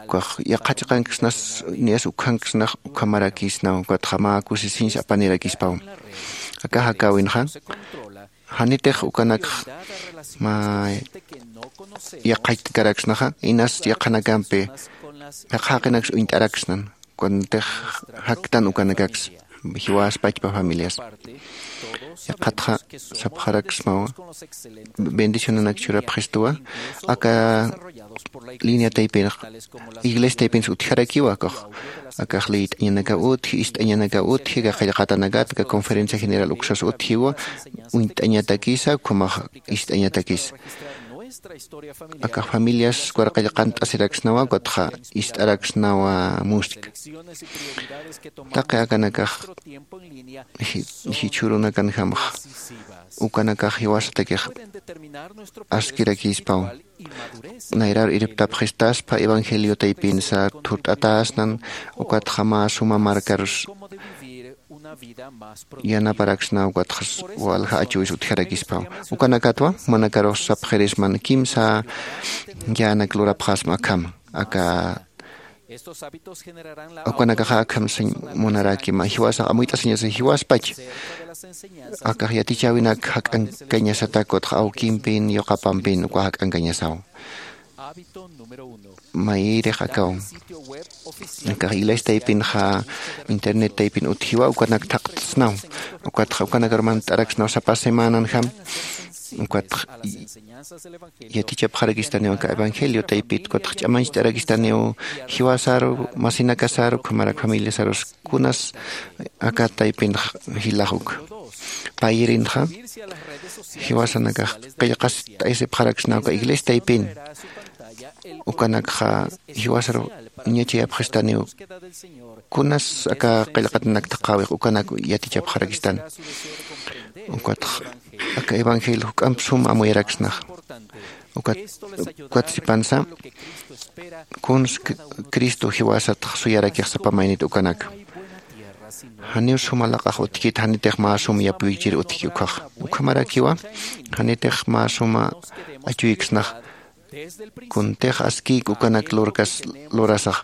ukax yaqha chiqanksnas niyas ukhanksnax ukhamarakisnaw ukatxa mä kusisiñs apanirakispaw. Akax akäwinxa janitix ukanakx mä yaqhachtkaraksnaxa inas yaqhanakampi yaqha jaqinaks uñt'araksnan kuantix jaktan ukanakaks jiwaspachpa familias yaqhatxa sapxaraksmawa bendicionanak churapxistuwa aka línea taypinx iglesia taypinsa utjarakiwa akax akax liyt'añanaka utji ist'añanaka utji ka qillqatanakat ka conferencia general uksas utjiwa uñt'añatakisa ukhamax ist'añatakisa akax familias warqillqant'asiraksnawa ukatxa ist'araksnawa musk taqi akanakax jichhürunakanjamx ukanakax jiwasatakix askirakispaw nayrar irptapxistaspa evangelio taypinsa thurt'atäsnan ukatxa mä suma markarus yanaparaksna ukatxa walja achuwis utjarakispaw ukanakatwa manakarux sapxirisman kimsa yänak lurapxasma akham aka ukanakaxa akham sañ munarakima jiwasax amuyt'asiñasa jiwaspach akax yatichäwinak jak'ankañasatak ukatxa awkimpin yuqapampin uka jak'ankañasaw mayïrix akaw akax iglesia taypinxa internet taypin utjiwa ukanak thaqtsnaw ukatxa ukanakar mant'araksnaw sapa semananjam ukatxa yatichapxarakistaniw aka evangelio taypit ukatxa ch'amañcht'arakistaniw jiwasaru masinakasaru ukhamarak familiasarus kunas aka taypinx jilax uka payirinxa jiwasanakax qillqast'aysipxaraksnaw aka iglesia taypin ukanakxa jiwasaru ñachayapxistaniw kunas aka qillqatanak thaqhäwix ukanak yatichapxarakistan ukatx aka evangelio juk'amp sum amuyaraksnax ukat ukat sipansa kuns cristo jiwasatx suyarakix sapa maynit ukanak Janiw suma laq'ax utjkit, janitix mä sum yapuychir utjki ukkhax. Ukhamarakiwa, janitix mä suma achuyksnax. Kuntix askïk ukanak lurkas lurasax.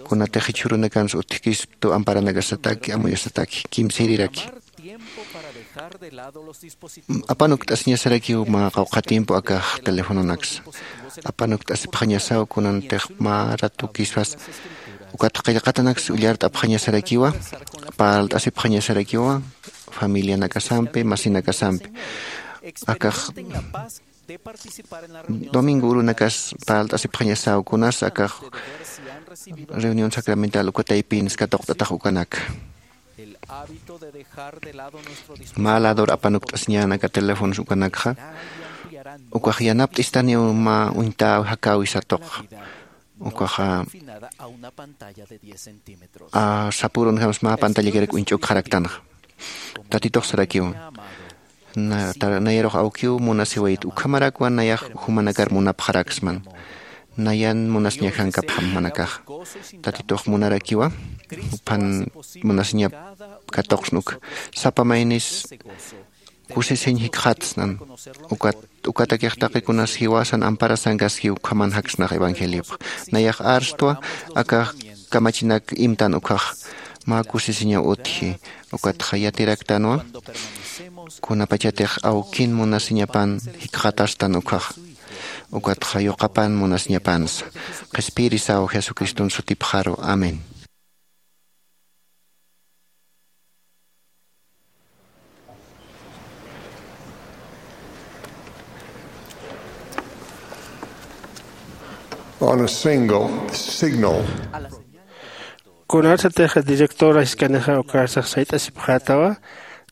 Kunatix jichhürunakansa utjkistu amparanakasataki, amuyasataki, kimsïriraki. Apanukt'asiñasarakiw mä qawqha tiempo akax telefononaksa. Apanukt'asipxañasaw kunantix mä ratukispas. Ukat qillqatanaksa ullart'apxañasarakiwa, parlt'asipxañasarakiwa, familianakasampi, masinakasampi. Akax domingo urunakas parlt'asipxañasaw kunas akax reunión sacramental uka taypinsa katuqt'atax ukanaka. Mä lador apanukt'asiñanaka teléfonos ukanakxa, ukax yanapt'istaniw mä uñtäwi jakäwi satuqxa. Ukaxa, a, sapürunjamsa mä pantallakiraki uñch'ukxaraktanxa. Tatitux sarakiw. Na-, ta-, nayarux awkiw munasiwayit, ukhamarakwa nayax jumanakar munapxaraksman. Nayan munasiñajankapxam jumanakax. Tatitux munarakiwa, juphan munasiñap katuqsnuk. Sapa maynis kusisiñ jikxatsnan. Ukat, ukatakix taqikunas jiwasan amparasankaski ukhaman jaksnax evangeliopx. Nayax arstwa, akax kamachinak imtan ukkhax. Mä kusisiñaw utji. Ukatxa yatiraktanwa, kunapachatix awkin munasiñapan jikxatastan ukkhax. Ukatxa yuqapan munasiñapansa. Qhispiyirisaw Jesucriston sutipxaru. Amén. On a single signal. Kunasatix director jiskanixa ukarsax sayt'asipxätawa,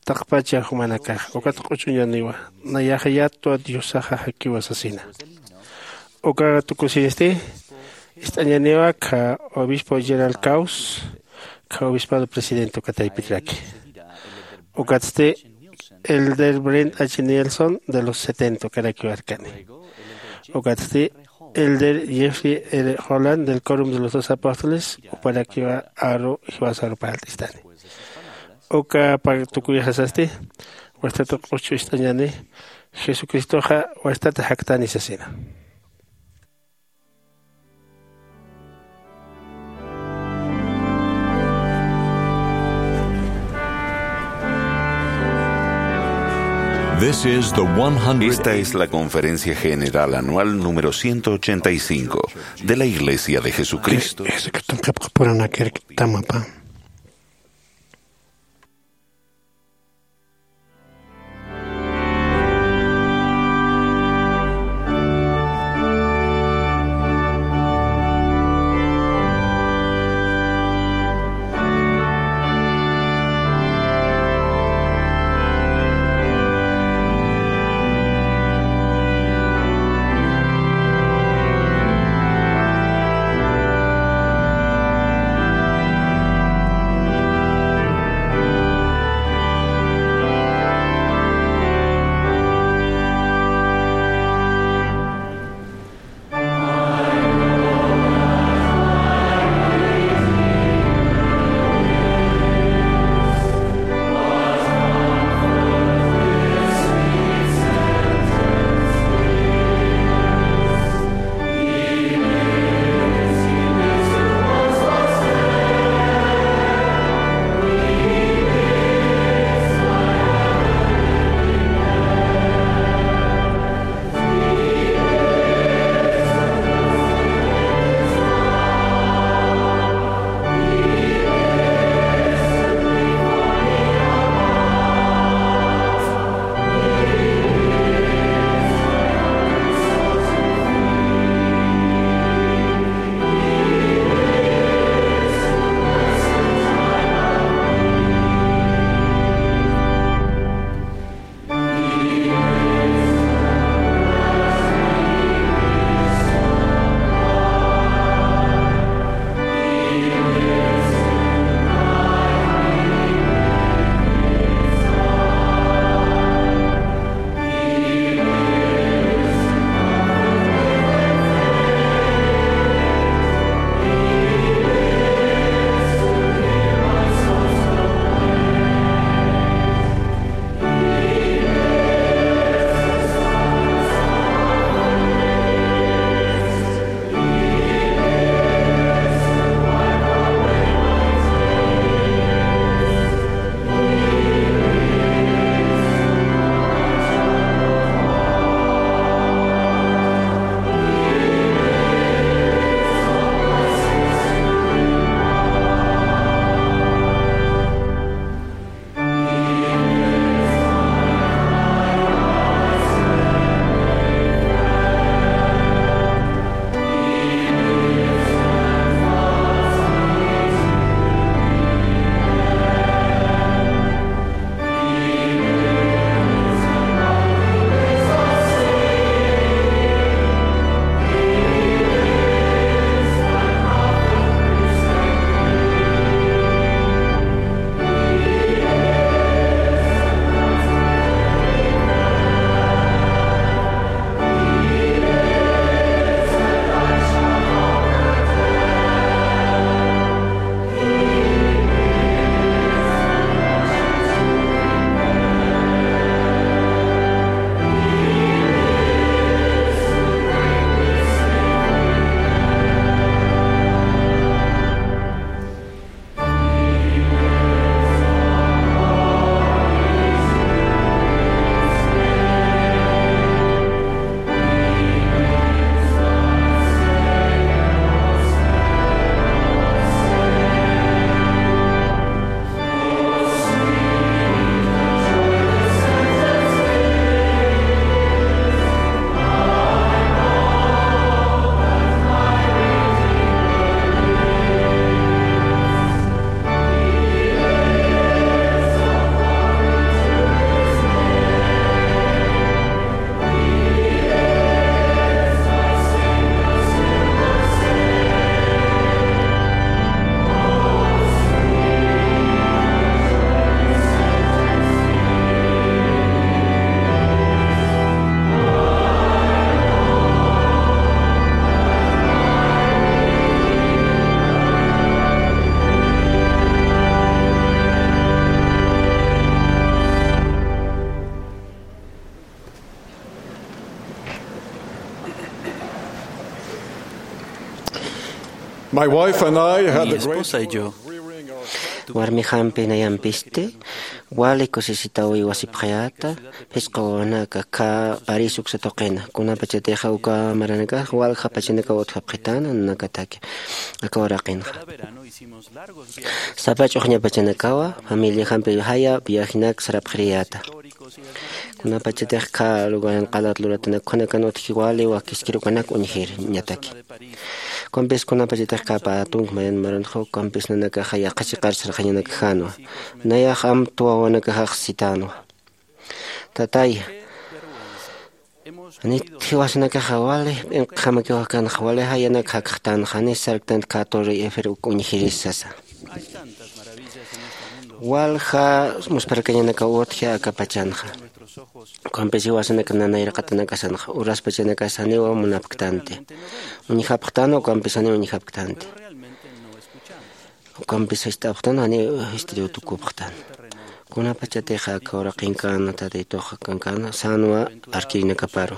taqpacha jumanakax, ukat q'uchuñaniwa, nayax yatwa Diosaxa jakiwa sasina. Uka tukusiñasti, ist'añaniwa kha obispo Gerald Caus, kha obispado presidente uka taypitraki. Ukatsti elder Brent H. Nielsen de los setenta ukarakiwa arkani. Ukatsti elder Jeffrey R. Holland del Quórum de los Doce Apóstoles, juparakiwa aru jiwasaru parlt'istani. Uka pä tukuyxasasti, wastat q'uchu ist'añani, Jesucristoxa wastata jaktani sasina. This is the one hundred. Esta es la conferencia general anual número ciento ochenta y cinco de la Iglesia de Jesucristo. Jesucriston qhipqapuranakirktamapa. My wife and I had Mi the great esposa y yo. Warmijampi nayampisti wali kusisitaw iwasipxayäta, phisqa wawanaka khä París uksa tuqina. Kunapachatixa uka maranakax walja pachanakaw utjapxitäna nanakataki aka uraqinxa. Sapa ch'uxña pachanakawa familiajampi jaya viajenak sarapxiriyäta. Kunapachatix khä lugaran qalat luratanak ukhanakan utji wali wakiskir ukanak uñjir ñataki. Ukampis kunapachatix khä pä tunka mayan maranxa ukampis nanakaxa yaqha chiqar sarxañanakjänwa. Nayax amtwa wawanakaxax sitänwa. Tataya, janit jiwasanakaxa wali p'inqjamakiw jakänxa, wali jayanak jakxtänxa, janis sarktanti khä Torre Eiffel uk uñjiris sasa. Walja muspharkañanakaw utji aka pachanxa. Ukampis jiwasanaka nayraqatanakasanxa, uraspachanakas janiw munapktanti. Uñjapxtänwa ukampis janiw uñjapktänti. Ukampis jist'apxtän, janiw jist'iriw tukupxtän. Kunapachatixa aka uraqinkan Tatitux kankan sänwa arkirinakaparu.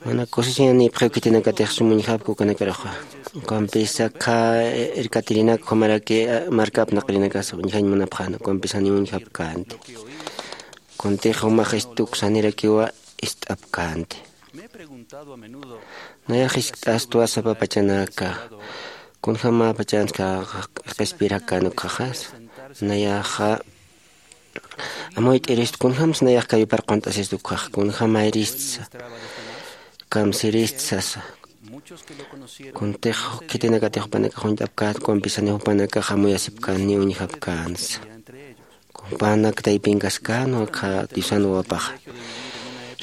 Mana kusisiñanipxiw khitinakatix sum uñjapki ukanakaruxa. Ukampisa khä irkatirinak ukhamaraki marka apnaqirinakasa uñjañ munapxäna, ukampis janiw uñjapkänti. Kuntix jumax istuks janirakiwa ist'apkänti. Nayax jiskt'astwa sapa pachanaka, kunjämapachansa qhispirakän ukhaxas. Nayaxa amuyt'irist, kunjämsa nayax kayupar qunt'asist ukhax, kunjämayristsa, kamsirist sasa. Kuntix khitinakatix jupanakax uñt'apkänti, ukampis janiw jupanakax amuyasipkänti ni uñjapkänsa. Jupanak taypinkaskänwa khä Diosan wawapaxa.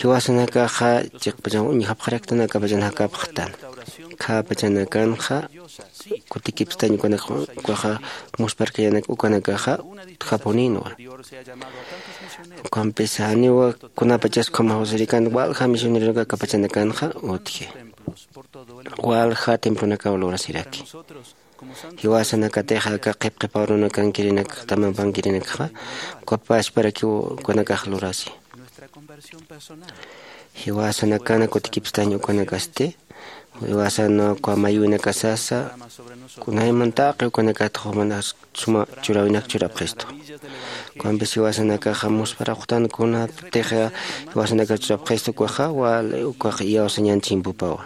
Jiwasanakaxa chiqpachan uñjapxaraktan, aka pachan jakapxtan. Khä pachanakanxa kutikipstañ ukanak, ukaxa muspharkañanak ukanakaxa utjapunïnwa. Ukampis janiwa kunapachas ukhamax usirikan, walja misioneronaka aka pachanakanxa utji. Walja templonakaw lurasiraki. Jiwasanakatix aka qhipqhipa urunakankirinak, tamampankirinakxa, uka pachparakiw ukanakax lurasi. Jiwasanakana kutikipstañ ukanakasti, jiwasan uka mayuwinakasasa, kunayman taqi ukanakat jumanas suma churawinak churapxistu. Ukampis jiwasanakaxa muspharapxtan kunatix jiwasanakax churapxistu ukaxa, wal ukax iyawsañan chimpupawa.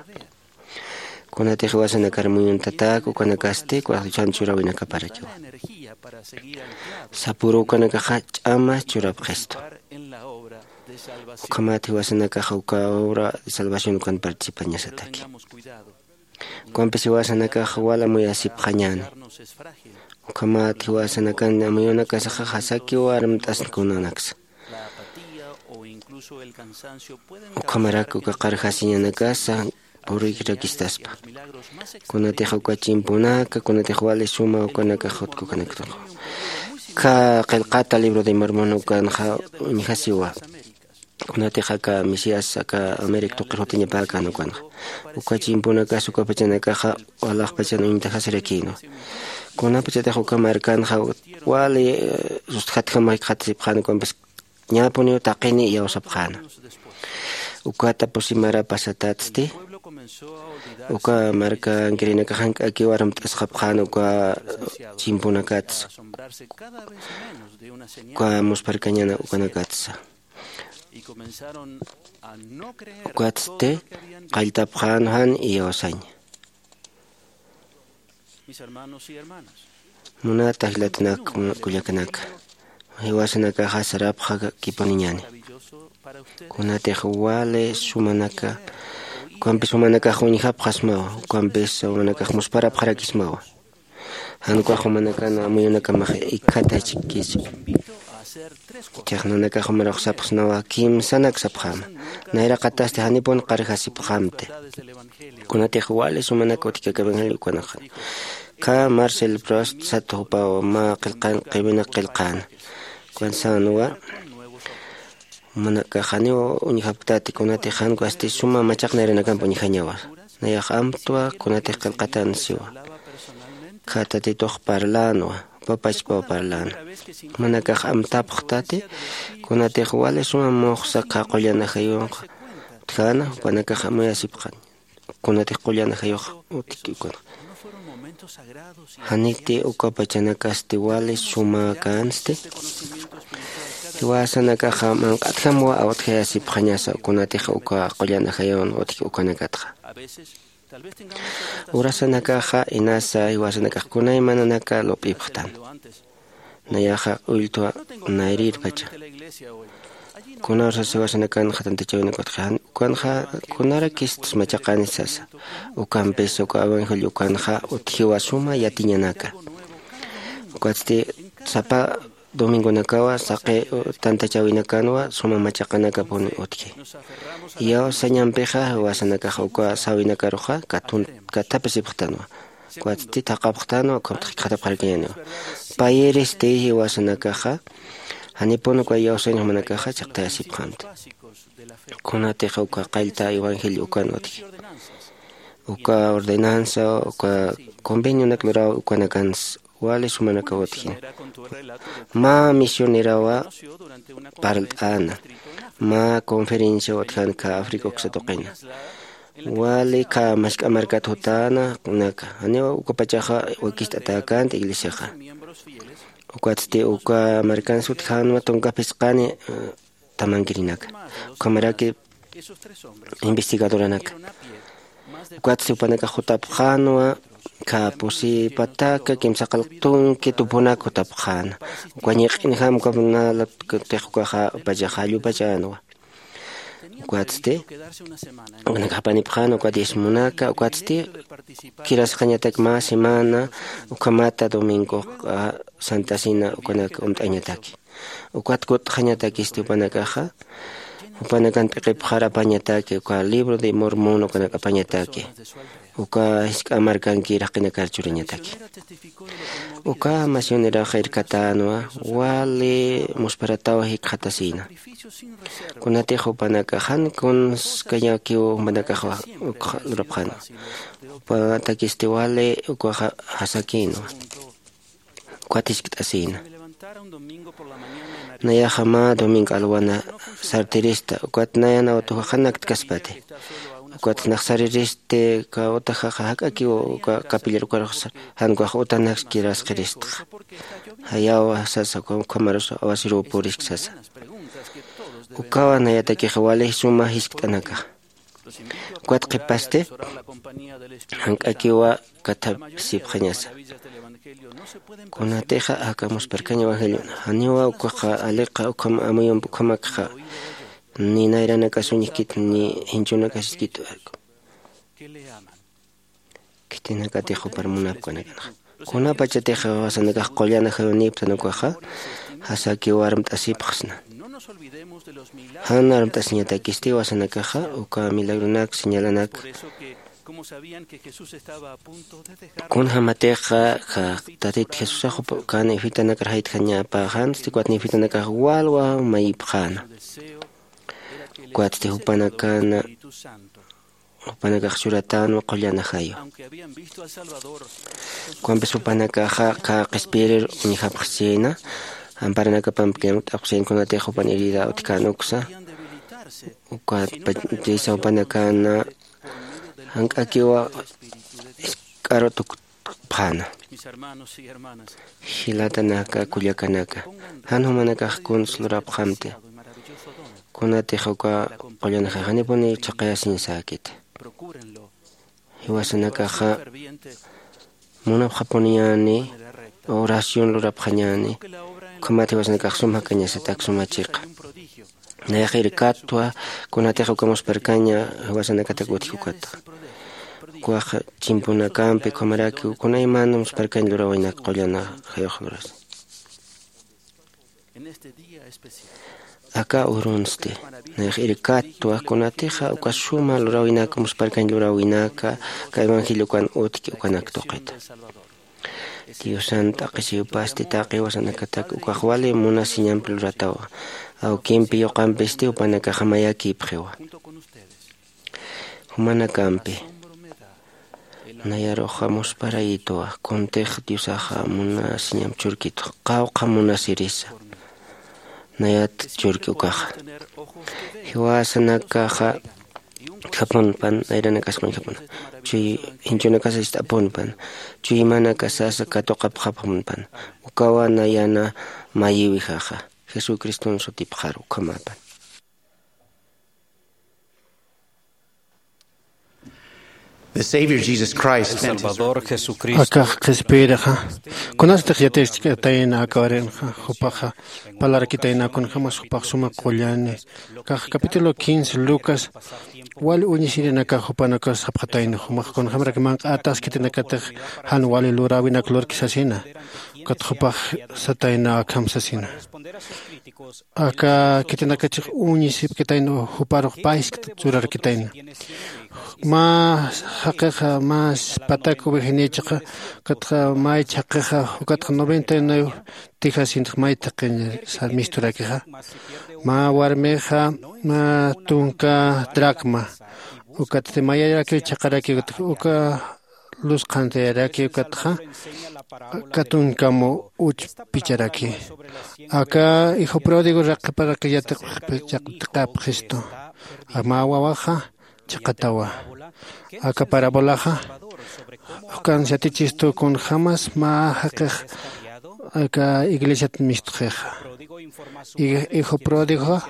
Kunatix jiwasanakar muyuntatak ukanakasti, ukax Diosan churawinakaparakiwa. Sapüru ukanakaxa ch'ama churapxistu. Ukhamat jiwasanakaxa uka obra de salvación ukan participañasataki. Ukampis jiwasanakaxa wal amuyasipxañäni. Ukhamat jiwasanakan amuyunakasaxa jasakiw armt'asn kunanaksa. Ukhamarak uka qarjasiñanakasa puruykirakistaspa. Kunatix uka chimpunaka, kunatix wali suma ukanakax utkukanaktuxa. Khä qillqata libro de Mormon ukanxa uñjasiwa. Kunatix aka Mesías aka América tuqir jutiñapäkän ukanxa. Uka chimpunakas uka pachanakaxa walaxpachan uñt'ajasirakïnwa. Kunapachatix uka markanxa wali, eh, sustjatjam jikxatasipxän ukampis ñäpuniw taqini iyawsapxäna. Ukata pusi mara pasatatsti, uka markankirinakax jank'akiw armt'asxapxän uka chimpunakatsa, uka muspharkañan ukanakatsa. Ukatsti qalltapxän jan iyawsañ. Munata jilatanak, kullakanaka, jiwasanakaxa sarapxakipuniñäni. Kunatix wali sumanaka, ukampis jumanakax uñjapxasmawa, ukampis jumanakax muspharapxarakismawa. Jan ukax jumanakan amuyunakamax ikhatachkispa. Ichax nanakax jumarux sapxsnawa, kimsanak sapxäma. Nayraqatasti janipun qarjasipxämti. Kunatix wali sumanak utjkak evangelio ukanxa. Khä Marcel Proust sat jupaw mä qillqan qiwinak qillqäna. Ukan sänwa, jumanakax janiw uñjapktati, kunatix jan ukasti suma machaq nayranakamp uñjañawa. Nayax amtwa kunatix qillqatan siwa. Khä Tatitux parlänwa, jupa pachpaw parläna. Jumanakax amtapxtati, kunatix wali suma muxsa khä qullan ajayunx utjäna, jupanakax amuyasipxän. Kunatix qullan ajayux utjki ukanxa. Janiti uka pachanakasti wali sumäkänsti. Jiwasanakaxa manq'atjamwa awtjayasipxañasa kunatix uka qullan ajayawan utji ukanakatxa. Urasanakaxa inasa jiwasanakax kunaymananaka lup'ipxtan. Nayaxa ulltwa nayrirpacha. Kuna urasas jiwasanakanxa tantachawinakatxa ukanxa kunarakistus machaqani sasa. Ukampis uka evangelio ukanxa utjiwa suma yatiñanaka. Ukatsti sapa domingonakawa saqi tantachawinakanwa suma machaqanakapuni utji. Iyawsañampixa jiwasanakaxa uka sawinakaruxa katun kathapisipxtanwa. Ukatsti thaqhapxtanwa ukhamtix jikxatapxarkañäniwa. Payiristi jiwasanakaxa janipun uka iyawsañ jumanakaxa chiqtayasipxamti. Kunatix uka qallta evangelio ukan utji. Uka ordenanza uka convenionak luraw ukanakans wali sumanakaw utjin. Mä misionerawa parlt'äna mä conferencia utjan kha Africa uksa tuqina. Wali kha mask'a markat jutäna kunaka janiw ukapachaxa wakist'atäkänti iglesiaxa. Ukatsti uka markans utjänwa tunka phisqani tamankirinaka ukhamaraki investigadoranaka. Ukatsti jupanakax jutapxänwa kha pusi pataka kimsa qalq tunki tupunak jutapxäna. Uka ñiq'injam ukapunalapktix ukaxa pachaxa jallupachänwa. Ukatsti ukanakax apanipxäna uka diezmonaka ukatsti kirasxañatak mä semana ukhamata domingoxa santa cena ukanak umt'añataki. Ukat kut'xañatakisti jupanakaxa jupanakan p'iqipxar apañataki uka libro de mormón ukanak apañataki. Uka jisk'a markankir jaqinakar churañataki. Uka misioneraxa irkatänwa wali musparataw jikxatasïna. Kunatix jupanakax jan kunskañakiw jumanakax ukxa lurapxänwa. Jupatakisti wali ukaxa jasakïnwa. Ukat jiskt'asïna. Nayaxa mä domingo alwana sartirista ukat nayan awtujaxa naktkasipati. Ukat nax sariristi uka utajaxa jak'akiw uka capillar ukarux jan ukax utanakskirasqiristxa. Jayawa sasa ukhamarus awasiruw purisk sasa. Ukawa nayatakix wali suma jiskt'anakaxa. Ukat qhipasti jank'akiwa kathapisipxañasa. Kunatixa aka musparkañ evangeliona janiwa ukaxa aliqa ukham amuyump ukhamakxa ni nayranakasuñjkit ni jinchunakasiskit. Khitinakatix jupar munapkanakanxa kunapachatix jiwasanakax qullan ajayunïptan ukaxa jasaki warmt'asipxsna. Jan armt'asiñatakisti jiwasanakaxa uka milagronak señalanak. Kunjämatixa tatit jesusax ukan ifitanakar jaytjañapäxänsti ukat ifitanakax walwa mayipxäna. Ukatsti jupanakana jupanakax churatänwa qullan ajayu. Ukampis jupanakaxa qhispirir uñjapxsina amparanakapamp kirmt'apxsin kunatix jupan herida utjkän uksa. Ukat pachisa jupanakana jank'akiwa isk'aru tukpxäna. Jilatanaka kullakanaka, jan jumanakax kuns lurapxamti. Kunatix uka qullan ajayu janipuni chhaqayasiñ säkiti. Jiwasanakaxa munapxapuniñäni oración lurapxañäni. Ukhamat jiwasanakax sum jakañasatak suma chiqa. Nayax irkatwa kunatix uka musparkaña jiwasanakatak utji ukata. Ukax chimpunakampi ukhamaraki kunayman musparkañ lurawinak qullan ajayux lurasa. Aka urunsti nayax irkatwa kunatixa uka suma luräwinaka musparkañ luräwinaka aka evangeliokan utjki ukanak tuqita. Diosan t'aqhisiwpasti taqi jiwasanakatak ukax wali munasiñampi luratawa. Awkimpi yuqampisti jupanakaxa mayakïpxiwa. Jumanakampi nayaruxa musparayituwa kuntix diosaxa munasiñam churkitux qawqha munasirisa. Nayat churki ukaxa jiwasanakaxa utjapunpan, nayranakasqañjapuna, chuy jinchunakasa ist'apunpan, chuymanakasasa katuqapxapxamunpan. Ukawa nayana mayiwijaxa jesucriston sutipxar ukhamapan. The Savior Jesus Christ spent his Salvador Jesucristo. Akax qhispiyiraxa kunasatix yatichkatayna akawarinxa jupaxa palarakitayna kunjämas jupax suma qullani. Kax capítulo quince Lucas wali uñisirinakax jupanakas sapxatayna jumax kunjämarak manq'atas khitinakatix jan wali luräwinak lurki sasina. Ukat jupax satayna akham sasina. Aka khitinakachix uñisipkitayna juparux payskta churarkitayna. Mä jaqixa mä patak ovejanïchixa ukatxa may chhaqixa ukatxa noventa y nueve tijasintix may thaqiñ misturakixa. Mä warmixa mä tunka dracma ukatsti mayarakiw chhaqaraki uka lus qhantayaraki ukatxa aka tunkamu uchpicharaki. Aka hijo pródigo raqiparakiw yatiqapxistu. Mä wawaxa chhaqatawa. Aka parabolaxa jukan yatichistu kunjämas mä jaqix aka iglesiat mistxixa. Hijo pródigoxa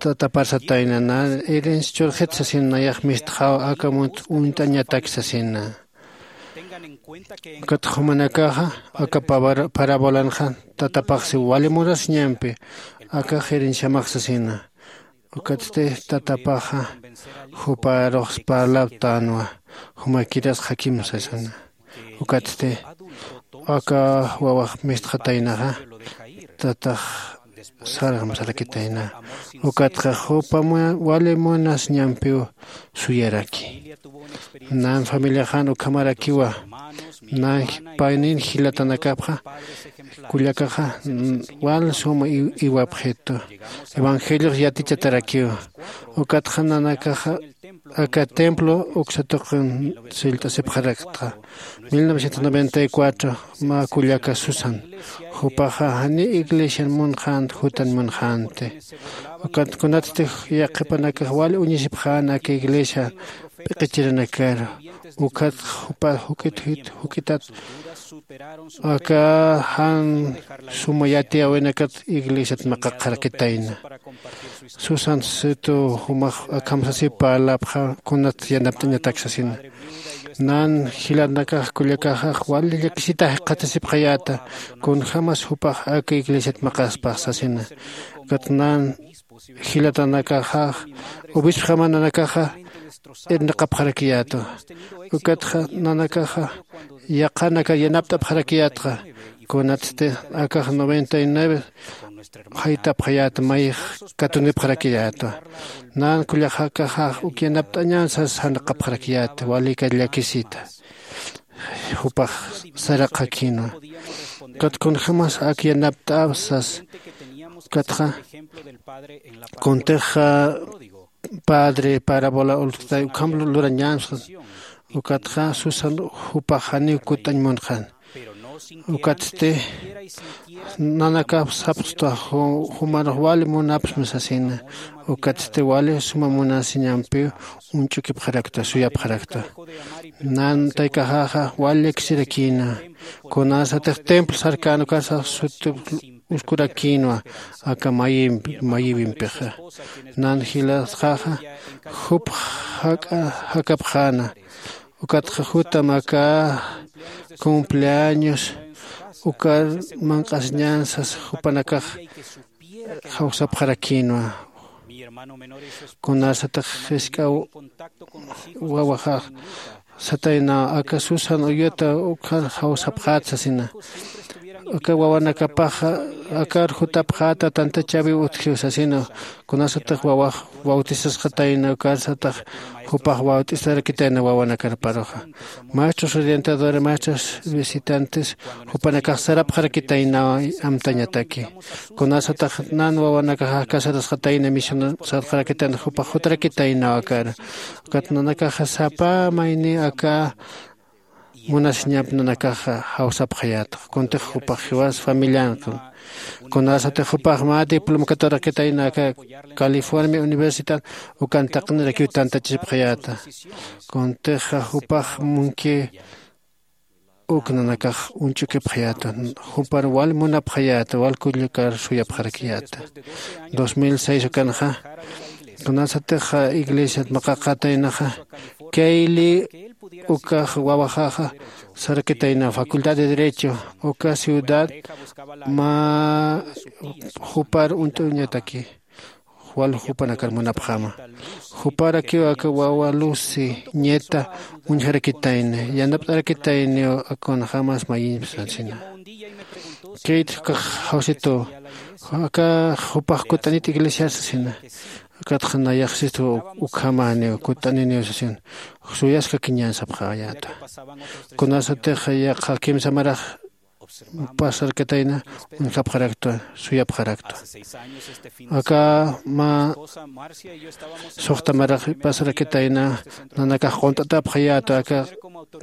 tatapar satayna nan herencia churxit sasina nayax mistxaw aka munt uñt'añatak sasina. Ukat jumanakaxa aka pabar- parabolanxa tatapaxsi wali munasiñampi aka herenciamax sasina. Ukatsti tatapaxa juparuxs parlaptänwa jumakiras jakim sasina. Ukatsti aka wawax mistxataynaxa tatax sarxam sarakitayna. Ukatxa jupa wali munasiñampiw suyaraki. Nan familiaxan ukhamarakiwa. Nan paynin jilatanakapxa kullakaxa wal suma iwapxitu. Evangeliox yatichatarakïwa. Ukatxa nanakaxa aka templo uksa tuqin sillt'asipxaraktxa. Mil novecientos noventa y cuatro mä kullaka susan jupaxa janiw iglesian munxänti jutan munxänti. Ukat kunatsti yaqhipanakax wali uñisipxän aka iglesia p'iqichirinakaru. Ukatxa jupa juk'it juk'itat aka jan suma yatiyäwinakat iglesiat maqaqxarakitayna. Susan situ jumax akham sasiw parlapxa kunat yanapt'añatak sasina. Nan jilanakax kullakaxax wali llakisita jikxatasipxayäta kunjämas jupax aka iglesiat maqaspax sasina. Ukat nan jilatanakaxax obispjamananakaxa irnaqapxarakiyätwa. Ukatxa nanakaxa yaqhanakar yanapt'apxarakiyätxa. Kunatsti akax noventa y nueve jaytapxayäta mayix katunipxarakiyätwa. Nan kullakaxax uk yanapt'añan sas janaqapxarakiyäta wali kar llakisita jupax saraqakïnwa. Ukat kunjämas ak yanapt'äw sas ukatxa kuntix padre parabola ulktay ukham lurañän sas. Ukatxa susan jupax janiw kutt'añ munxän. Ukatsti nanakap sapxtwa jumarux wali munapxsma sasina. Ukatsti wali suma munasiñampiw uñch'ukipxaraktwa suyapxaraktwa. Nan taykaxaxa wali llakisirakïna kunasatix templo sarkän ukarsa sut uskurakïnwa aka mayiwimpixa. Nan jilatxaxa jup jak'a jakapxäna. Ukatxa jutam aka cumpleaños ukar manq'asiñän sas jupanakax jawsapxarakïnwa. Kunasatix jisk'a wawaxax sataynaw aka susan uyuta ukxar jawsapxät sasina. Aka wawanakapaxa akar jutapxäta tantachäwiw utjiw sasina. Kunasatix wawax bautisasxatayna ukar satax jupax bautisarakitäna wawanakar paruxa. Maestros orientadores maestros visitantes jupanakax sarapxarakitaynaw amtañataki. Kunasatax nan wawanakaxa casarasxatayna misionar sarxarakitayna jupax jutarakitaynaw akar. Ukat nanakaxa sapa mayni aka munasiñamp nanakaxa jawsapxayäta. Kuntix jupax jiwas familiankan, kunasatix jupax mä diplomkaturakitayna aka california universidad ukan taqinirakiw tantachipxayäta. Kuntixa jupax munki uk nanakax uñch'ukipxayäta. Jupar wal munapxayäta wal kullakar suyapxarakiyäta. Dos mil seis ukanxa kunasatix iglesiat maqaqataynaxa kayli ukax wawaxaxa sarakitayna facultad de derecho uka ciudad mä jupar uñt'uñataki wal jupanakar munapxama. Juparakiw aka wawa lucy ñeta uñjarakitayni yanapt'arakitayniw akunxamas mayiñpsasina. Kayt ukax jawsituw aka jupax kutt'anit iglesiar sasina. Ukatxa nayaxsistu ukhamaniw kutt'aniniw sasin suyaskakiñän sapxayäta. Kunasatix yaqha kimsa marax pasarkatayna uñjapxaraktwa suyapxaraktwa. Aka mä suxta marax pasarkatayna nanakax qunt'atapxayäta aka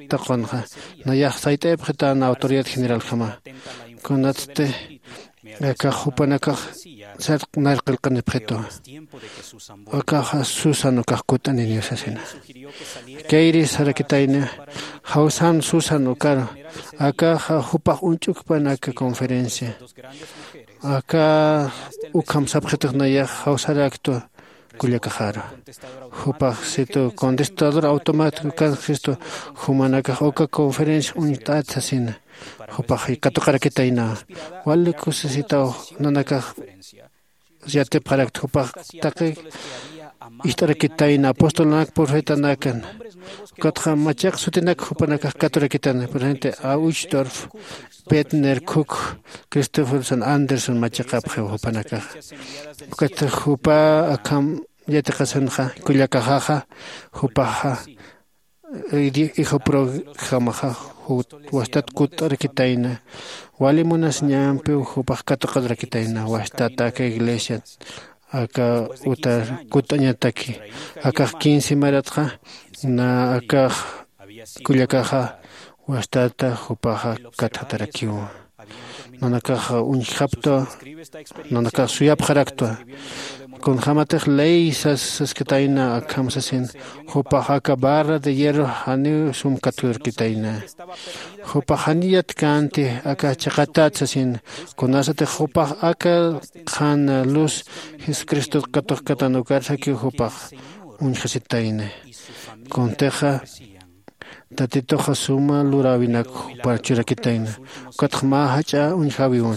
taqunxa nayax sayt'ayapxitäna autoridad generaljama. Kunatsti akax jupanakax sarq narqillqanipxitwa. Akaxa susan ukax kutt'aniniw sasina. Kayri sarakitayna jawsan susan ukaru akaxa jupax uñch'ukpan aka conferencia aka ukham sapxitux nayax jawsaraktwa. Kullakaxaru jupax situ contestador automático kanxistu jumanakax uka conferencia uñt'at sasina. Jupax katuqarakitayna wali kusisitaw nanakax yatipxarakta jupax taqi ist'arakitayna apostolnak profetanakan. Ukatxa machaq sutinak jupanakax katurakitana presente ausdorf petner cook christopherson anderson machaqapxiw jupanakaxa. Ukatxa jupa akham yatiqasanxa kullakaxaxa jupaxa ijupruxamaxa wastat kutt'arakitayna. Wali munasiñampiw jupax katuqarakitayna wastat aka iglesiat aka utar kutt'añataki. Akax quince maratxa na akax kullakaxa wastata jupaxa katjatarakiwa. Nanakax uñjaptwa nanakax suyapxaraktwa. Kunjämatix ley saskatayna akham sasin jupax aka barra de hierro janiw sum katurkitayna. Jupax janiw yatkänti aka chiqatat sasin. Kunasatix jupax aka qhan luz jesucristot katuqkatan ukarsakiw jupax uñjasitayna. Kuntixa tatituxa suma luräwinak jupar churakitayna. Ukatxa mä jach'a uñjäwiwa.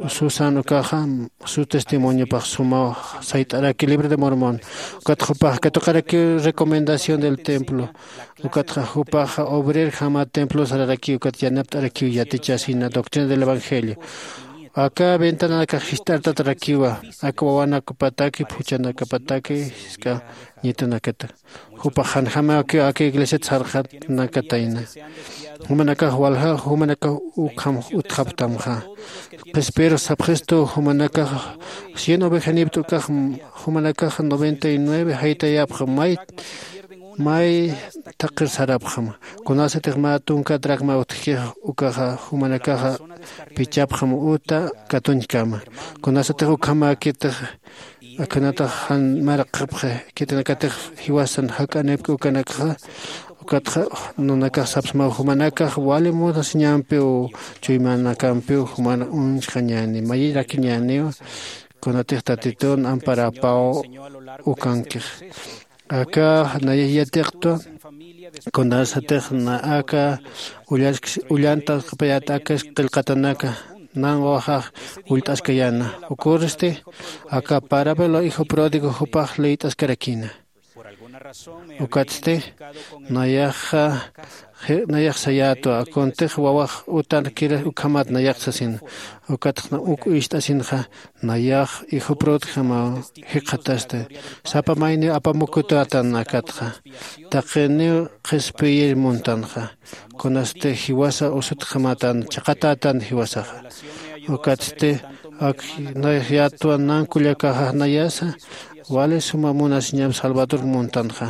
Susan ukaxa su testimoniopax sumaw sayt'araki libro de mormon. Ukatxa jupax katuqarakiw recomendación del templo. Ukatxa jupaxa obrerjama templo sararaki ukat yanapt'arakiw yatichasina doctrina del evangelio. Aka ventananakax jist'artatarakiwa aka wawanakapataki phuchanakapataki jisk'a ñitanakata. Jupax janjamakiw aka iglesiat sarxatnakatayna. Jumanakax walja jumanakax ukham utjaptamxa. Qhispir sapxistu jumanakax cien ovejanipta ukax jumanakax noventa y nueve jaytayapxa may may thaqir sarapxam. Kunasatix mä tunka dracma utjkix ukaxa jumanakaxa pichapxam uta katuñkama. Kunasatix ukhamäkitix akhunatax jan maraqxapxi khitinakatix jiwasan jak'anipki ukanakxa. Ukatxa nanakax sapsmaw jumanakax wali munasiñampiw chuymanakampiw juman uñjxañäni mayirakiñäniw. Kunatix tatitun amparapaw ukankix aka nayax yatiqtwa. Kunasatix na aka ullantasqapayät aka qillqatanaka nan wawaxax ullt'askayäna. Uküristi aka parabela hijo pródigo jupax liyt'askarakïna. Ukatsti nayaxa nayax sayätwa kuntix wawax utan kira ukhamat nayax sasin. Ukatxa uk ist'asinxa nayax ijuprutkjamaw jikxatasti. Sapa mayniw apamukutätan akatxa taqiniw qhispiyir muntanxa. Kunasti jiwasa usutjamatan chiqatätan jiwasaxa. Ukatsti ak nayax yätwa nan kullakaxax nayasa wali suma munasiñam salvador muntanxa.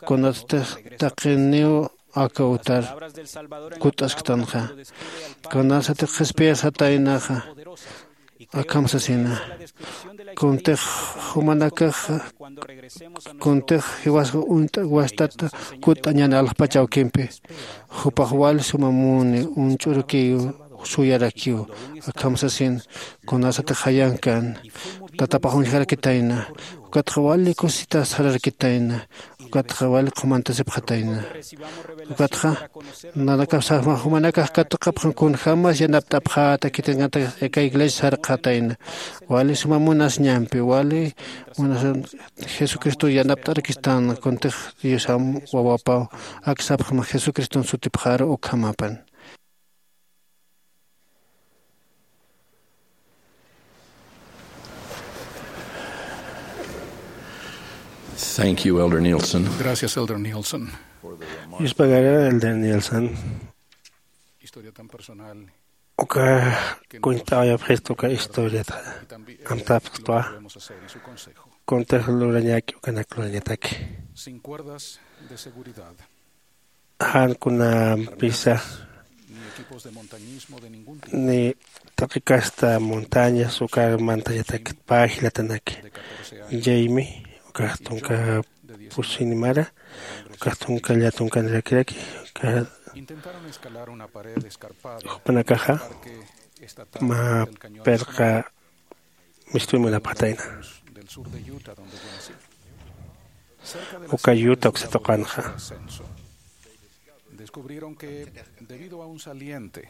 Kunatsti taqiniw aka utar kutt'asktanxa. Kunasatix qhispiyasataynaxa akham sasina. Kuntix jumanakaxa, kuntix jiwasxa uñt'a wastata kutt'añan alxpach awkimpi, jupax wali suma muni uñch'urakiw, suyarakiw. Akham sasin, kunasatix jayankan tatapax uñjarakitayna, ukatxa wali kusitas sararakitayna, ukatxa wali qhumantasipxatayna. Ukatxa nanakapsa jumanakax katuqapxan kunjämas yanapt'apxäta khitinakatix aka iglesia sarqxatayna. Wali suma munasiñampi, wali munasa Jesucristo yanapt'arakistan, kuntix Diosam wawapaw. Ak sapxam Jesucriston sutipxaru ukhamapan. Thank you, Elder Nielsen. Gracias, Elder Nielsen. Yuspagara, Elder Nielsen. Historia tan personal. Uka kuñt'awayapxistu uka historiata amtapxtwa. Kuntix lurañaki ukanak lurañataki. Sin cuerdas de seguridad. Jan kunampisa ni taqi kasta montañas ukar mantañatak pä jilatanaki. Jamie ukax tunka pusinimara, ukax tunka llatunkanirakirak, uka jupanakaxa mä pirqa mistuy munapxatayna. Uka Utah uksa tuqanxa. Descubrieron que, debido a un saliente,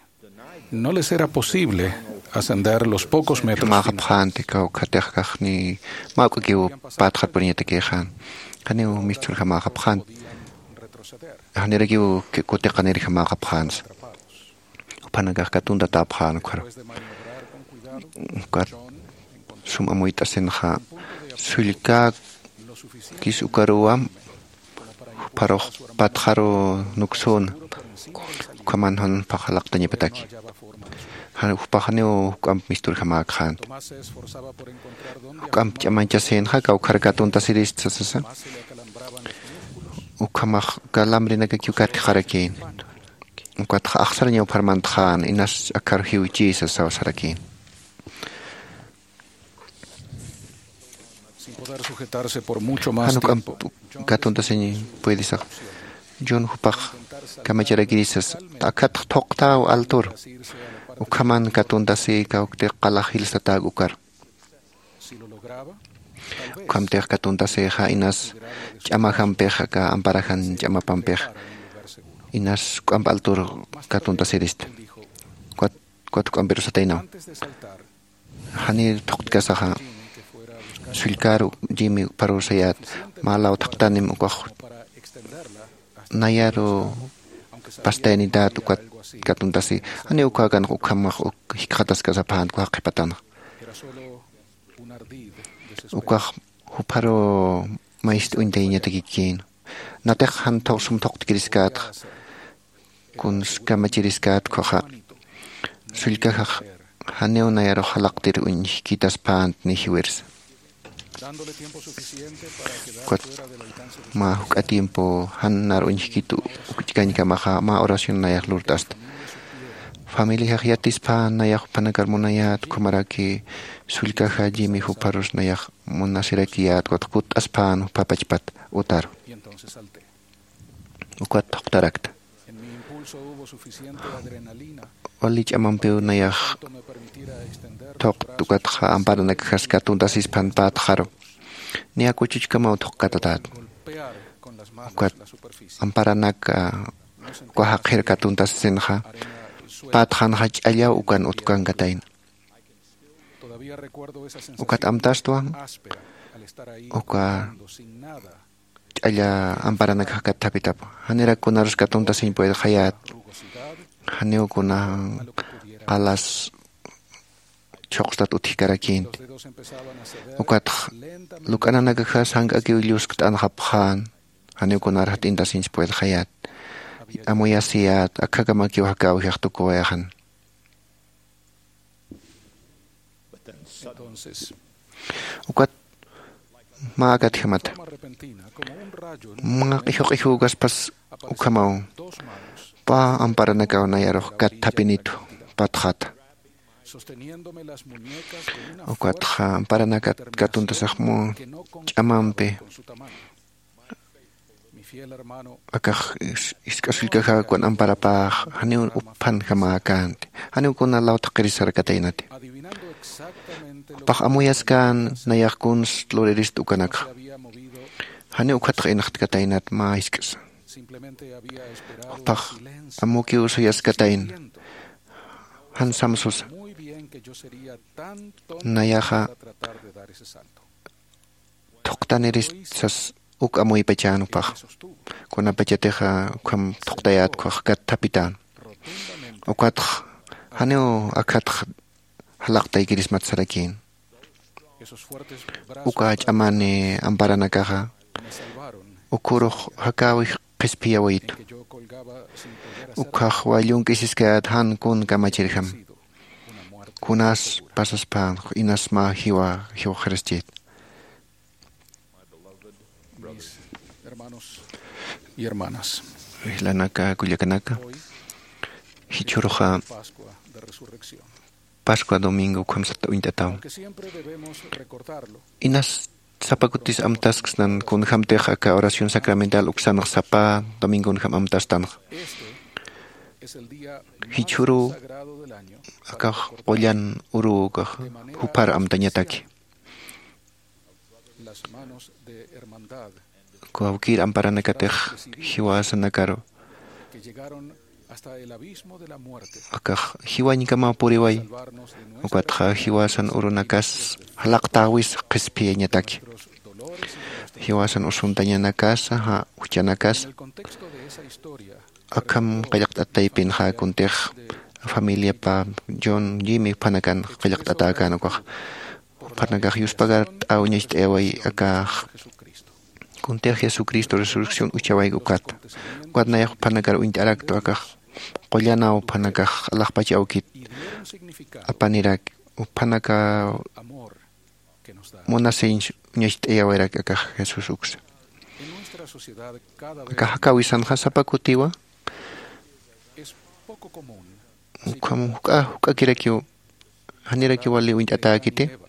no les era posible ascender los pocos metros. Mäxapxänti kawkhatix kaxni mä uk'akiw pätxat puriñatakïxän. Janiw misturjamäxapxänti. Janirakiw kutiqanirjamäxapxänsa. Jupanakax katuntatäpxän ukkharu. Ukat sum amuyt'asinxa sullkäkis ukaruwam jupharux patxaru nuksüna. Ukhaman jan jupax jalaqtañapataki. Jan jupax janiw juk'amp misturjamäkxänti. Juk'amp ch'amañchasïnxa kawkhar katuntasirista sasa. Ukhamax calambrenakakiw katjxarakïn. Ukatxa axsarañaw pharmantxän inas akhar jiwchïsa sasaw sarakïn. Sin poder sujetarse por mucho más tiempo. Jan uk'amp katuntasiñ puedisax. John jupax kamacharakirïsas. Akhatx thuqtäw altur. Ukhaman katuntasï kawktix qalax jilsatäk ukar. Ukhamtix katuntasïxa inas ch'amajampixa aka amparajan ch'amapampixa inas juk'amp altur katuntasirista. Ukat juk'ampirusataynaw. Janir thuqtkasaxa sullkar Jimmy jupharur sayät mä law thaqtanim ukax nayaru pastaynitat ukat katuntasi. Janiw ukhäkanx ukhamax uk jikxataskasapänt ukax qhipatanxa. Ukax jupharu mayist uñtayañatakikïn. Natix jan sum thuqtkiriskät, kuns kamachiriskät ukkhaxa. Sullkajax janiw nayarux jalaqtir uñjkitaspänt ni jiwirsa. Ukat mä juk'a tiempo jan nar uñjkit ukch'kañkamaxa mä oración nayax lurt'asta. Familiajax yatispän nayax jupanakar munayät, ukhamaraki sullkaja Jimmy jupharus nayax munasirakiyät, ukat kutt'aspän jupha pachpat utar. Ukat thuqtarakta. Wali ch'amampiw nayax thuqt ukatxa amparanakaxas katuntasispan pätxaru. Niya kuchuchkamaw thuqkatatät. Ukat amparanaka uka jaqhir katuntasisinxa pätxanxa ch'allaw ukan utkankatayna. Ukat amtastwa uka ch'alla amparanakax kathapitapxi. Janirak kunarus katuntasiñ puedxayät. Janiw kuna qalas chhuqstat utjkarakïnti. Ukatx luk'ananakaxa sank'akiw lluskt'anxapxän. Janiw kunar jat'intasiñs puedxayät. Amuyasiyät, akhakamakiw jakäwijax tukuwayxan. Ukat mä akatjamata. Mä q'ijuq'ijukaspas ukhamaw. Pä amparanakaw nayarux kat thapinitu patxata. Ukatxa amparanakat katuntasaxmu ch'amampi akax isk'asullkaxäkwan amparapäx janiw uphanjamäkänti. Janiw kuna lawtha qirisarkataynati. Jupax amuyaskän nayax kuns luriristu ukanakxa. Janiw ukhatx inxtkataynat mä jisk'asa. Jupax amukiw suyaskatayna. Jan samsusa nayaxa thuqtaniristsas uk amuypachänupax. Kunapachatixa ukham thuqtayätkwax kat thapitän. Ukatx janiw akhatx jalaqtaykirismat sarakïn. Uka ch'amani amparanakaxa ukhurux jakäwix qhispiyawaytu. Ukhax wallunk'isiskayät jan kun kamachirjam. Kunas pasaspän inas mä jiwa jiwxaraschit. Mis hermanos y hermanas, jilanaka kullakanaka, jichhüruxa pascua domingo ukham sata uñt'ataw. Inas sapa kutis amtasksnan kunjämtix aka oración sacramental uksanx sapa domingonjam amtastanxa. Jichhüruw akax qullan uruw ukax juphar amtañataki. Kawkïr amparanakatix jiwasanakaru akax jiwañkamaw puriway. Ukatxa jiwasan urunakas jalaqtäwis qhispiyañataki. Jiwasan usuntañanakasa juchanakasa akham qillqt'at taypinxa kuntix familiapa John Jimmy juphanakan qillqt'atäkän ukax. Jupanakax yuspagart'aw ñacht'ayaway akax kuntix Jesucristo resurrección uchawayk ukat. Ukat nayax jupanakar uñt'araktu akax qullanaw jupanakax alaxpach awkit apanirak jupanaka munasiñ ñacht'ayawayarak akax Jesús uksa. Akax jakäwisanxa sapa kutiwa ukham juk'a juk'akirakiw janirakiw wali uñt'atäkiti.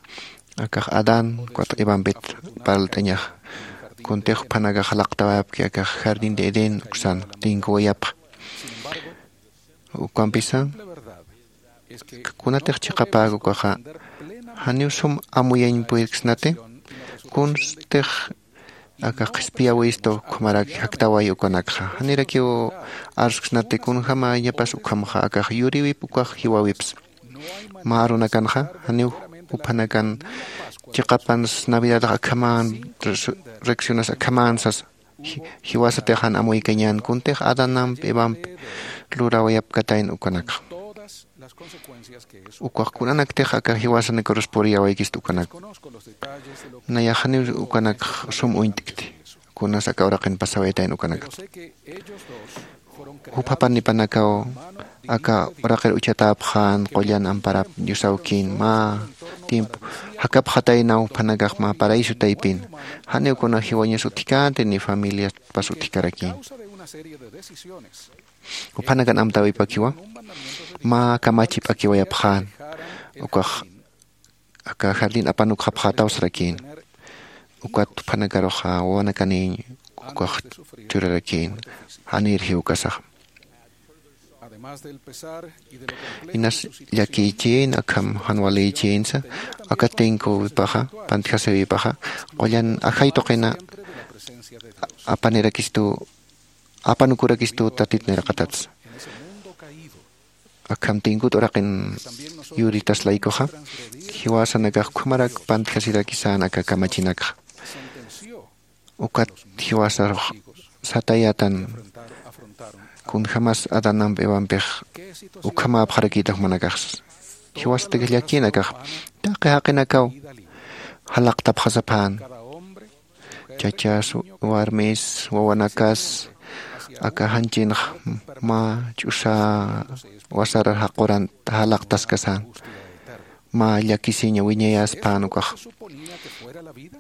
Akax Adán ukat Evampit parlt'añaxa. Kuntix jupanakax jalaqtawayapki akax jardín de Edén uksan tinkuwayapxa. Ukampisa kunatix chiqapäk ukaxa janiw sum amuyañ puyirksnati. Kunstix aka qhispiyawistu ukhamaraki jaktawayi ukanakxa janirakiw arsksnati kunjämañapas ukhamxa akax yuriwip ukax jiwäwips. Mä arunakanxa janiw juphanakan chiqapans navidadax akhamän resurreccionas akhamän sasa. Jiwasatix jan amuykañän kuntix adanamp evamp lurawayapkatayn ukanakxa. Ukax kunanaktix aka jiwasanakarus puriyawaykistu ukanak. Nayax janiw ukanakx sum uñt'kti kunas aka uraqin pasawayatayn ukanakxa. Jupapanipanakaw aka uraqir uchatäpxän qullan amparap diosawkïn mä tiempo jakapxataynaw juphanakax mä paraíso taypin. Janiw kuna jiwañas utjkänti ni familiaspas utjkarakïn. Juphanakan amtäwipakiwa mä kamachi p'akiwayapxän. Ukax aka jardín apanukxapxätaw sarakïn. Ukat juphanakarux wawanakanïñ ukax churarakïn janïr jiwkasaxa. Inas llakïchïn akham jan walïchïnsa aka tinkuwipaxa pantjasiwipaxa qullan ajay tuqina apanirakistu apanukurakistu tatit niraqatatsa. Akham tinkut uraqin yuritas laykuxa jiwasanakax ukhamarak pantjasirakisän aka kamachinakxa. Ukat jiwasarux satayätan kunjämas adanamp evampix ukhamäpxarakïta jumanakaxsa. Jiwasatakix llakïnakax taqi jaqinakaw jalaqtapxasaphän. Chachas warmis wawanakas aka janchinx mä ch'usa wasarar jaquran jalaqtaskasän. Mä llakisiña wiñayaspän ukax.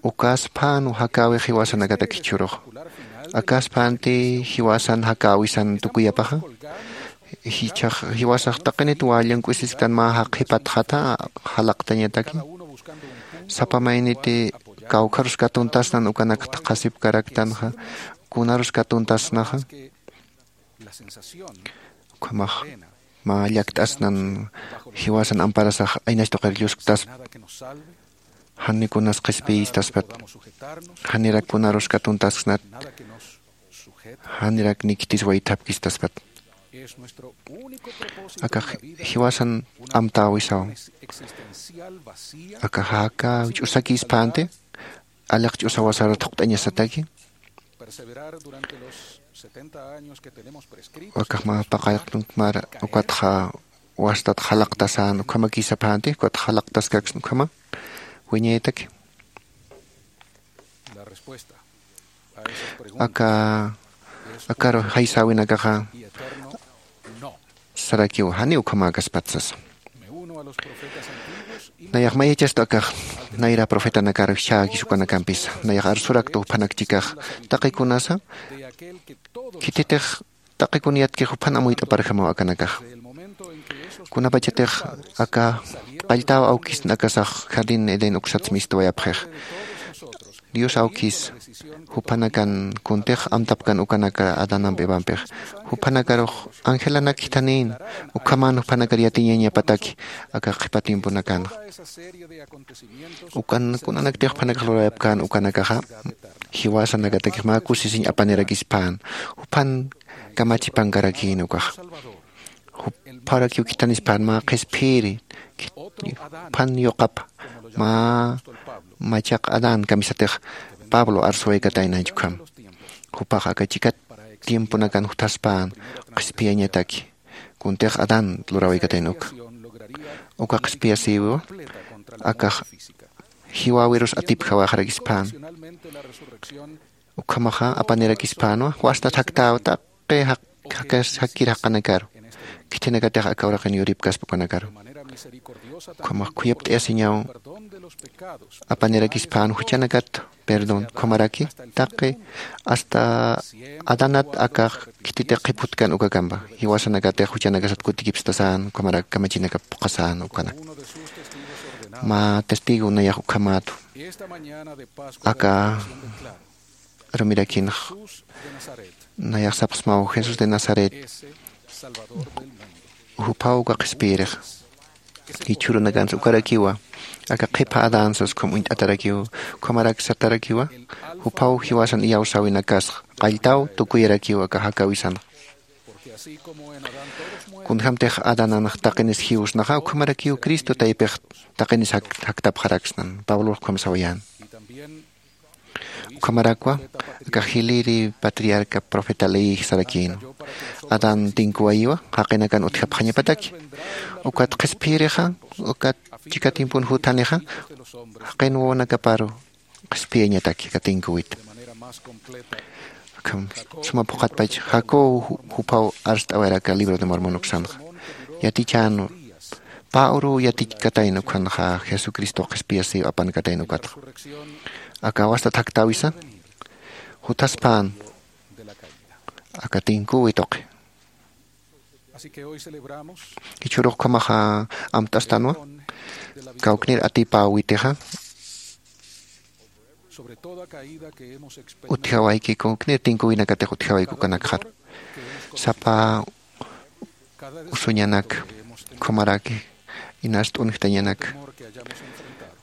Ukaspän jakäwix jiwasanakatak jichhürux. Akasphanti jiwasan jakäwisan tukuyapaxa. Jiwasax taqinit wallunk'usisktan mä jaqhipatxata jalaqtañataki. Sapa mayniti kawkharus katuntasnan ukanakta qhasipkaraktanxa, kunarus katuntasnaxa. Ukhamax mä llakt'asnan jiwasan amparasax aynach tuqir llusktaspa. Janikunas qhispiyistaspat. Janirak kunarus katuntasksnat. Janirak niktis waythapkistaspat. Aka jiwasan amtäwisaw. Aka jaka ch'usakispänti aliq ch'usawasar thuqt'añasataki. Akax mä paqallqtun mara ukatxa wastat jalaqtasän ukhamakisapänti ukatxa jalaqtaskaksn ukhama wiñaytaki. Aka akaru jaysäwinakaxa sarakiw janiw ukhamäkaspatsa. Nayax mayachasta akax nayra profetanakar jichhäkis ukanakampisa nayax arsurakta juphanak chikax taqikunasa khititix taqikun yatkix juphan amuyt'aparjamaw akanakax. Kunapachatix aka qalltäw awkisn akasax jardín edén uksats mistwayapxix. Dios awkis jupanakan kuntix amtapkan ukanakar adanamp evampix. Juphanakarux angelanak jithanïn ukhaman jupanakar yatiñañapataki aka qhipa tiemponakanxa. Ukan kunanaktix jupanakax lurawayapkän ukanakaxa jiwasanakatakix mä kusisiñ apanirakispän. Juphan kamachipankarakïn ukaxa. Jupharakiw khithanispän mä qhispiyiri. Juphan yuqapa mä machaq adán kamisatix pablo arsuwaykataynañ ukham. Jupax aka chikat tiemponakan juthaspän qhispiyañataki kuntix adán lurawaykatayna uka. Uka qhispiyasïwiwa akax jiwäwirus atipjawaxarakispän. Ukhamaxa apanirakispänwa wasta thaktäw taqi jakkir jaqanakaru. Khithinakatix aka uraqin yuripkaspa ukanakaru. Ukhamax khuyapt'ayasiñaw apanirakispän juchanakat perdón ukhamaraki taqi hasta adanat akax khititix qhiputkan ukakampa jiwasanakatix juchanakasat kutikipstasän ukhamarak kamachinakap phuqhasän ukanak. Mä testigo nayax ukhamätu aka rumirakinx nayax sapxsmaw jesús de nazaret juphaw uka qhispiyirix. Jichhürunakansa ukarakiwa aka qhipha adan sas ukham uñt'atarakiw ukhamarak satarakiwa juphaw jiwasan iyawsäwinakasx qalltaw tukuyarakiw aka jakäwisanx. Kunjämtix adananx taqinis jiwsnaxa ukhamarakiw cristo taypix taqinis jaktapxaraksnan pablox ukham sawayän. Ukhamarakwa aka jiliri patriarca profeta leeyix sarakïnwa. Adán tinkuwayiwa jaqinakan utjapxañapataki. Ukat qhispiyirixa ukat chika tiempon juthanixa jaqin wawanakaparu qhispiyañataki aka tinkuwit. Suma phuqhatpach jacob juphaw arst'awayar aka libro de mormon uksanxa. Yatichänwa pä uruw yatichkatayna ukhanxa jesucristo qhispiyasiw apankatayna ukatxa. Aka wastat jaktäwisa juthaspän aka tinkuwi tuqi. Jichhürux ukhamaxa amt'astanwa kawknir atipäwitixa utjawayki kawknir tinkuwinakatix utjawayki ukanakxar. Sapa usuñanak ukhamaraki inas t'unjtañanak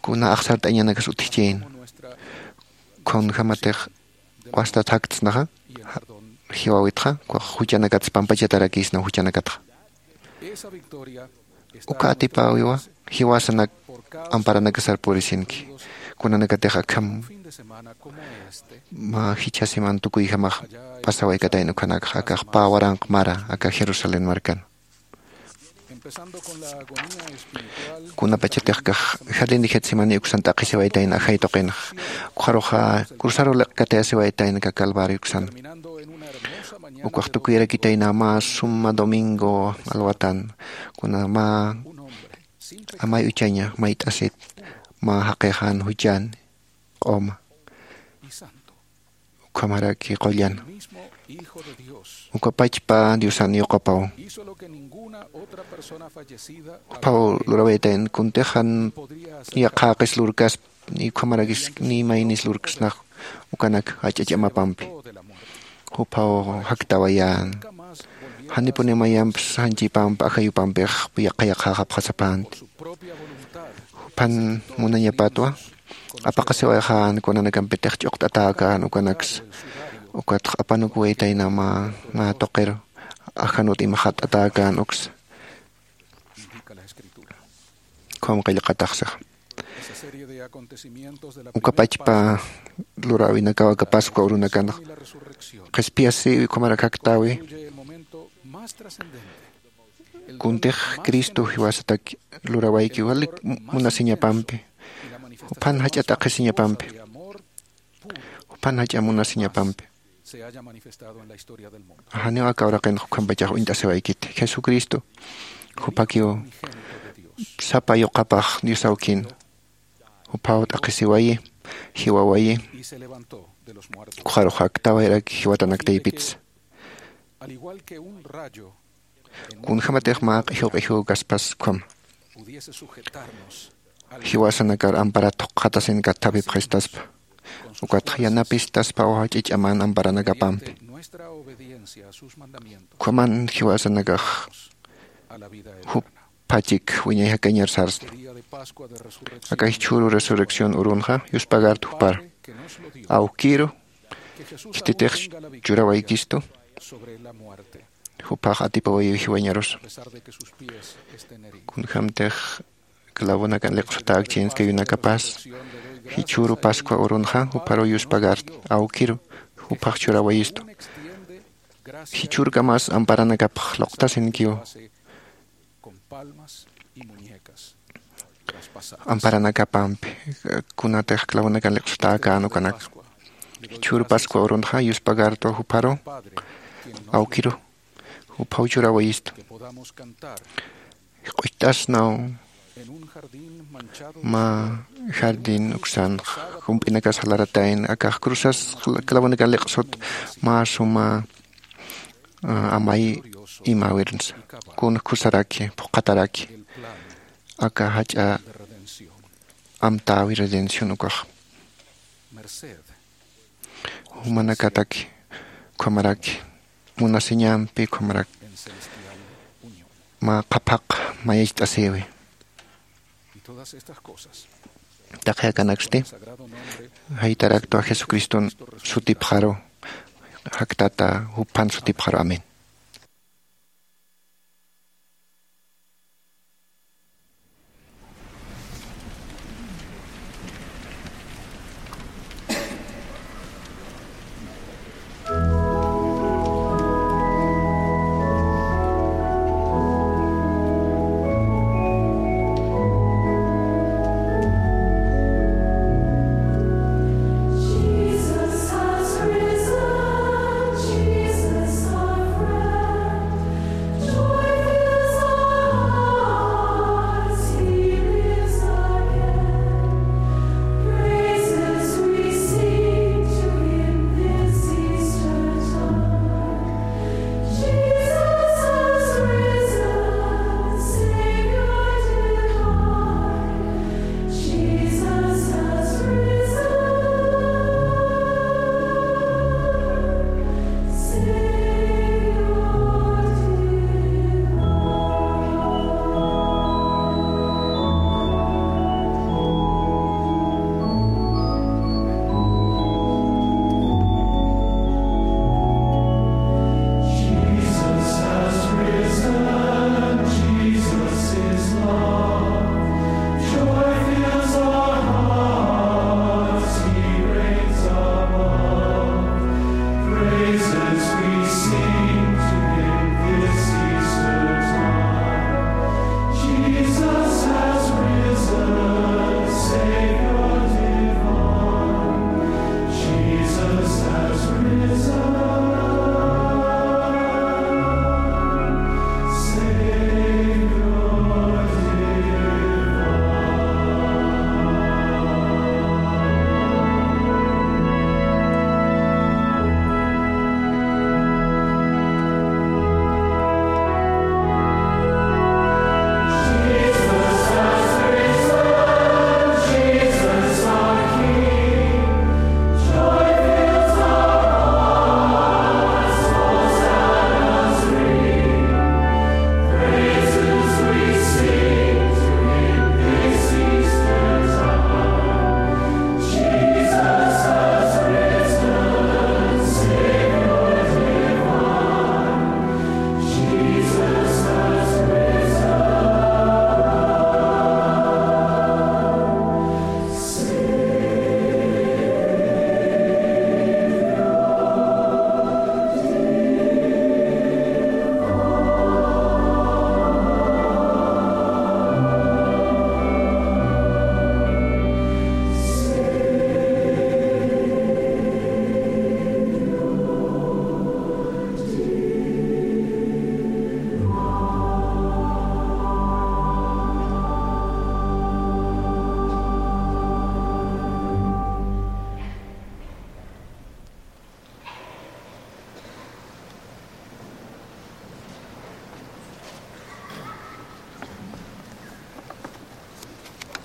kuna axsart'añanakas utjchïn. Kunjämatix wastat jaktsnaxa jiwäwitxa juchanakatsa pampachatarakïsna juchanakatxa. Uka atipäwiwa jiwasanak amparanakasar purisinki. Kunanakatix akham mä jichha siman tukuyjamax pasawaykatayna ukhanakxa akax pä waranq mara aka jerusalén markan. Kunapachatix akax jardín de getsemaní uksan t'aqhisiwaytayna ajay tuqinx. Ukxaruxa cruzaru liqkatayasiwaytayna aka calvario uksan. Ukax tukuyarakitayna mä suma domingo alwatan kuna mä amay uchaña mayt'asit mä jaqixan juchan q'uma. ukhamaraki qullan. Ukapachpa Diosan yuqapaw. Juphaw lurawaytayan kuntix jan yaqhaqis lurkaspa, ni ukhamarakis ni maynis lurksnax ukanak jach'a ch'amapampi. Juphaw jaktawayän. Janipuni mayamps janchipamp ajayupampix yaqha yaqhaqapxasapänti. Juphan munañapatwa apaqasiwayxän kunanakampitix ch'uqt'atäkän ukanaksa. Ukatx apanukuwaytayna mä, mä tuqir ajanut imaxat'atäkän uksa. Ukham qillqataxsixa. Ukapachpa luräwinakaw aka Pascua urunakanx qhispiyasiwi, ukhamarak jaktäwi. Kuntix Cristo jiwasatak lurawayki wali munasiñapampi, juphan jach'a t'aqhisiñapampi, juphan jach'a munasiñapampi. Janiw aka uraqinx ukhampachax uñt'asiwaykiti. Jesucristo, juphakiw sapa yuqapax Dios awkin. Juphaw t'aqhisiwayi, jiwawayi, ukxarux jaktawayarak jiwatanaktaypitsa. Kunjämatix mä q'ijuw q'ijuw kaspas ukhama. Jiwasanakar amparat thuqxatasin kathapipxistaspa. Ukatx yanapistaspaw jach'a ch'aman amparanakapampi. Ukhaman jiwasanakax juphachik wiñay jakañar sarsna. Aka jichhüru resurrección urunxa yuspagartu jupar. Awkiru, khititix churawaykistu, juphax atipawayiw jiwañarusa. Kunjämtix clavonakan liqsutäkchïnskayunakas, jichhüru Pascua urunxa jupharuw yuspagartu, awkiru, juphax churawayistu. Jichhürkamas amparanakapx luqtasinkiw. Amparanakapampi, kunatix clavonakan liqsutäkän ukanak. Jichhüru Pascua urunxa yuspagartu jupharu, awkiru, juphaw churawayistu. Q'ucht'asnaw mä jardín uksanx, jump'inakas jalaratayn, akax cruzas clavonakan liqsut mä suma, ah, amay imäwirnsa. Kun khusaraki, phuqhataraki aka jach'a amtäwi redención ukax. Jumanakataki, ukhamaraki munasiñampi, ukhamaraki mä qhaphaq mayacht'asïwi. Taqi akanaksti jaytaraktwa Jesucriston sutipxaru, jaktata juphan sutipxaru. Amén.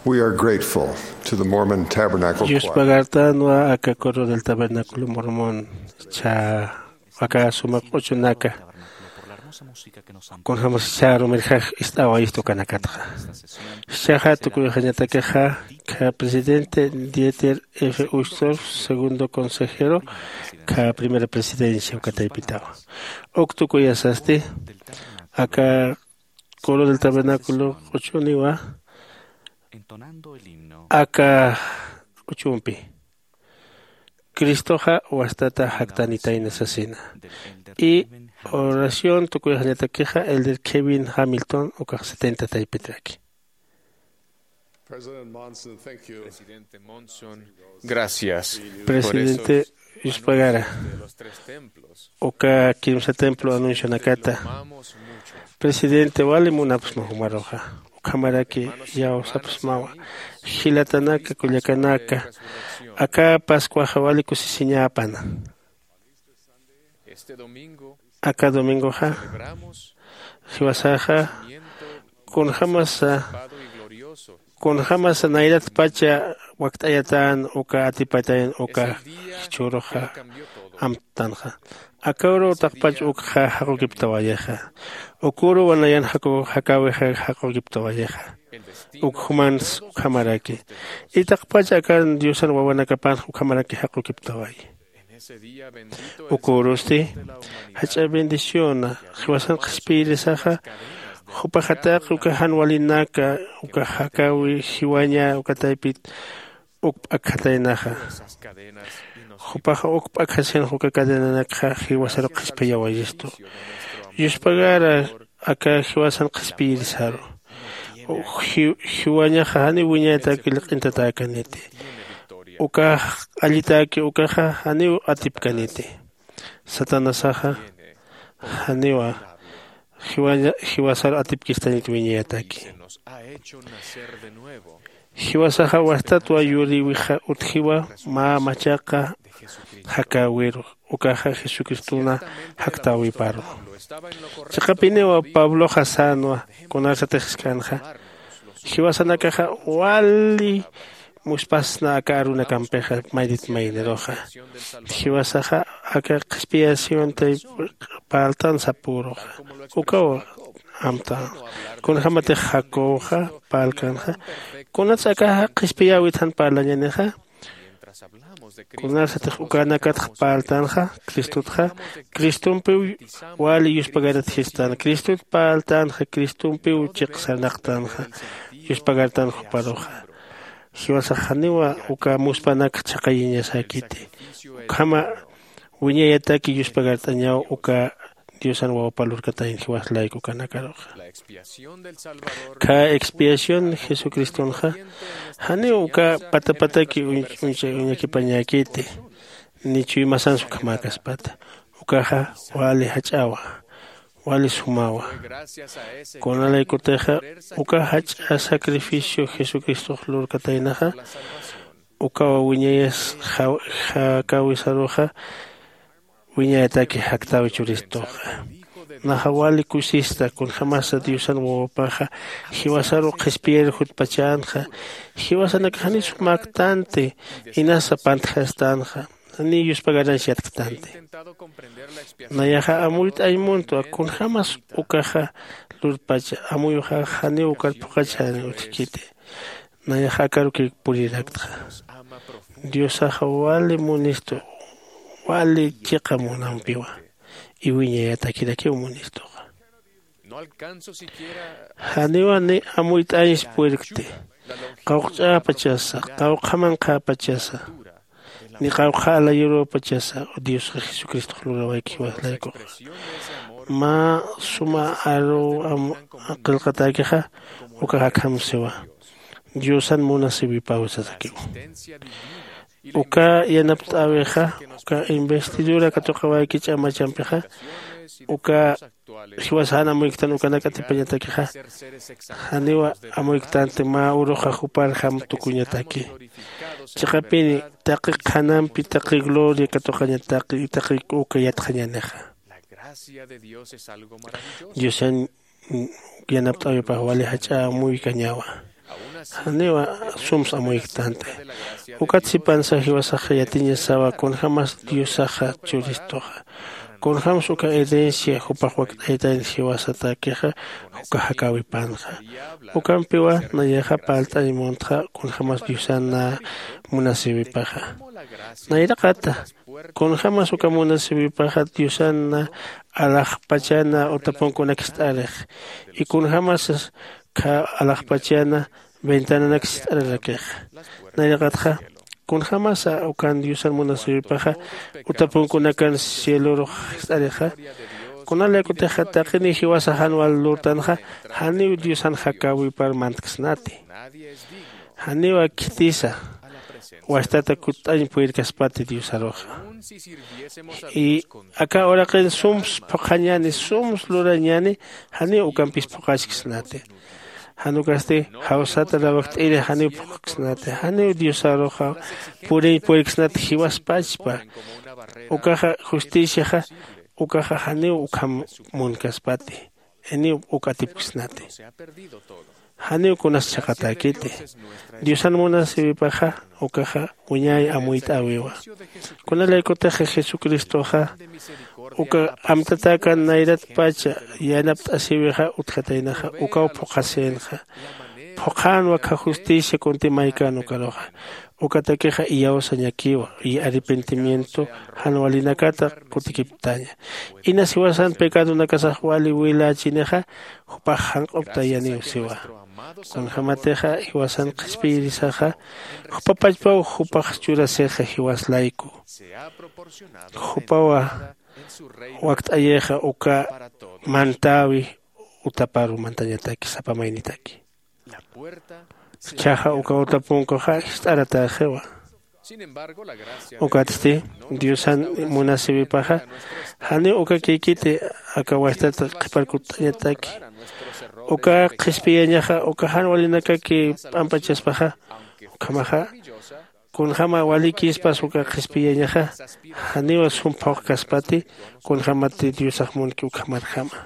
We are grateful to the Mormon Tabernacle Choir. Yuspagartanwa aka coro del tabernáculo mormón cha aka sumaq q'uchunaka kunjämas chärumirjax ist'awayistu kanakatxa. Jichhaxa tukuyxañatakixa kha presidente Dieter F Uchtdorf, segundo consejero kha primera presidencia uka taypitawa. Uk tukuyasasti aka coro del tabernáculo q'uchuniwa aka q'uchumpi cristoxa wastata jaktanitayna sasina. Y oración tukuyxañatakixa elder Kevin Hamilton ukax setenta taypitraki. Presidente Monson, thank you. Presidente Monson, gracias. Presidente yuspagara uka kimsa templo anuncionakata. Presidente wali munapsma jumaruxa ukhamaraki yawsapsmawa jilatanaka kullakanaka aka pascuaxa wali kusisiñäpana. Aka domingoxa jiwasaxa kunjämasa kunjämasa nayratpacha wakt'ayatän uka atipatayän uka jichhüruxa amtanxa. Aka uru taqpach ukxa jaqukiptawayixa. Uka uru wanayan jakäwixa jaqukiptawayixa. Uk jumans ukhamaraki itaqpach aka diosan wawanakapanx ukhamaraki jaqukiptawayi. Uka urusti jach'a bendiciona jiwasan qhispiyirisaxa. Jupaxa taqi uka jan walinaka uka jakäwi jiwaña uka taypit uk p'akjataynaxa. Jupaxa uk p'akjasinxa uka cadenanakxa jiwasaru qhispiyawayistu. Yuspagara aka jiwasan qhispiyirisaru jiwañaxa janiw wiñayataki liq'intatäkaniti. Ukax allitaki ukaxa janiw atipkaniti. Satanasaxa janiwa jiwasaru atipkistaniti wiñayataki. Jiwasaxa wastatwa yuriwixa utjiwa mä machaqa jakäwiru ukaxa jesucristona jaktäwiparu. Chiqapiniwa pabloxa sänwa kunarsatix jisk'anxa jiwasanakaxa wali muspasna aka arunakampixa maytit mayniruxa. Jiwasaxa aka qhispiyasyuntay parltan sapüruxa ukaw amtanxa. Kunjämatix jacobxa parlkanxa kunats akaxa qhispiyäwit jan parlañanixa. Kunarsatix ukanakatx parltanxa cristotxa cristompiw wali yuspagarat jistan cristot parltanxa cristompiw chiqsarnaqtanxa. Yuspagartan juparuxa jiwasax janiwa uka muspanak chhaqayiñasäkiti. Ukhama wiñayataki yuspagart'añaw uka diosan wawpa lurkatayan jiwas layku kanakaruxa. Kha expiación jesucristonxa janiw uka patapataki uñakipañäkiti ni chuymasans ukhamäkaspata. Ukaxa wali jach'awa wali sumawa. Kunalaykutixa uka jach'a sacrificio jesucristox lurkataynaxa ukawa wiñayas jakäwisaruxa wiñayataki jaktäwi churistuxa. Naxa wali kusista kunjämasa diosan wawapaxa jiwasaru qhispiyir jutpachänxa. Jiwasanakax janiw sumäktanti inasa pantjastanxa janiw yuspagaransi yatktanti. Nayaxa amuyt'añ muntwa kunjämas ukaxa lurpacha amuyuxax janiw ukar phuqhachäni utjkiti. Nayaxa akarukïk puriraktxa. Diosaxa wali munistu wali chiqa munampiwa iwiñayatakirakiw munistuxa. Janiwa ni amuyt'añs puerkti qawqch'äpachasa qawqhamanqhäpachasa ni qawqha alayurüpachasa diosxa jesucristox lurawayki jiwas laykuxa. Mä suma aruw qillqatäkixa ukax akham siwa diosan munasïwipäwi sasakiw. Uka yanapt'äwixa uka investidura katuqawayki ch'amachampixa uka jiwasan amuyktan ukanak atipañatakixa janiwa amuyktanti mä uruxa juparjam tukuñataki. Chiqapini taqi qhanampi taqi gloria katuqañataki taqi uka yatxañanixa. Diosan yanapt'äwipax wali jach'a amuykañawa. Janiwa sums amuyktanti. Ukat sipansa jiwasaxa yatiñasawa kunjämas diosaxa churistuxa, kunjämsa uka herencia jupax wakt'aytan jiwasatakixa, uka jakäwipanxa. Ukampiwa nayaxa parlt'añ muntxa kunjämas diosan nä munasïwipaxa. Nayraqata, kunjämas uka munasïwipaxa diosan nä alaxpachana utapunkunak jist'arix, y kunjämas kha alaxpachana ventananak jist'ararakix. Nayraqatxa, kunjämasa ukan diosan munasïwipaxa utapunkunakan cielorux jist'arixa? Kuna laykutixa taqiniw jiwasa jan wal lurtanxa, janiw diosan jakäwipar mantksnati. Janiw khitisa wastata kutt'añ puyirkaspati diosaruxa. Y aka uraqin sums phuqhañäni, sums lurañäni, janiw ukampis phuqhachksnati. Jan ukasti jawsata lawakt'iri janiw phuqhksnati, janiw diosaruxa puriñ puyirksnati jiwaspachpa. Ukaxa justiciaxa, ukaxa janiw ukham munkaspati. Janiw uk atipksnati. Janiw kunas chhaqatäkiti. Diosan munasïwipaxa ukaxa wiñay amuyt'äwiwa. Kunalaykutixa jesucristoxa uka amtatäkan nayratpacha yanapt'asïwixa utjataynaxa, ukaw phuqhasïnxa. Phuqhänwa kha justicia kunti maykan ukaruxa. Ukatakixa iyawsañakiwa y arrepentimiento jan walinakata kutikiptaña. Inas jiwasan pecadonakasax wali wilächinixa, jupax janq'uptayaniw siwa. Kunjämatixa jiwasan qhispiyirisaxa, jupapachpaw jupax churasixa jiwas layku. Jupawa wakt'ayixa uka mantäwi utaparu mantañataki sapa maynitaki. Chhaxa uka utapunkuxa jist'aratäxiwa. Ukatsti diosan munasïwipaxa janiw ukakïkiti aka wajtat qhipar kutt'añataki. Uka qhispiyañaxa uka jan walinakaki p'ampachaspaxa, ukhamaxa kunjäma walikïspas uka qhispiyañaxa, janiw sum phuqkaspati. Kunjämati diosax munki ukhamarjama.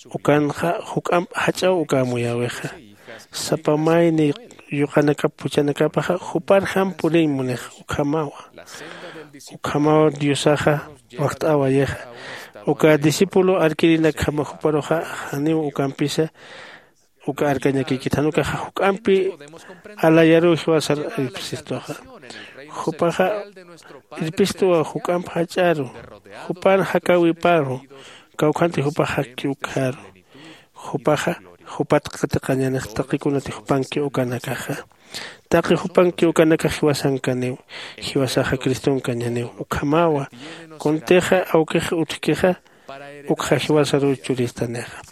Ukanxa juk'amp jach'aw uka amuyäwixa. Sapa mayni yuqanakap phuchhanakapaxa juparjam puriñ munix. Ukhamawa, ukhamaw diosaxa wajt'awayixa. Uka discípulo arkïrinakjama juparuxa janiw ukampisa uka arkañakïkit, jan ukaxa juk'ampi alayaruw jiwasar irpsistuxa. Jupaxa irpistuwa juk'amp jach'aru, jupan jakäwiparu, kawkhanti jupax jakki ukharu. Jupaxa jupat qatiqañanix taqi kunati jupanki ukanakaxa. Taqi jupanki ukanakax jiwasankaniw, jiwasaxa cristonkañaniw. Ukhamawa, kuntixa awkix utjkixa ukxa jiwasaruw churistanixa.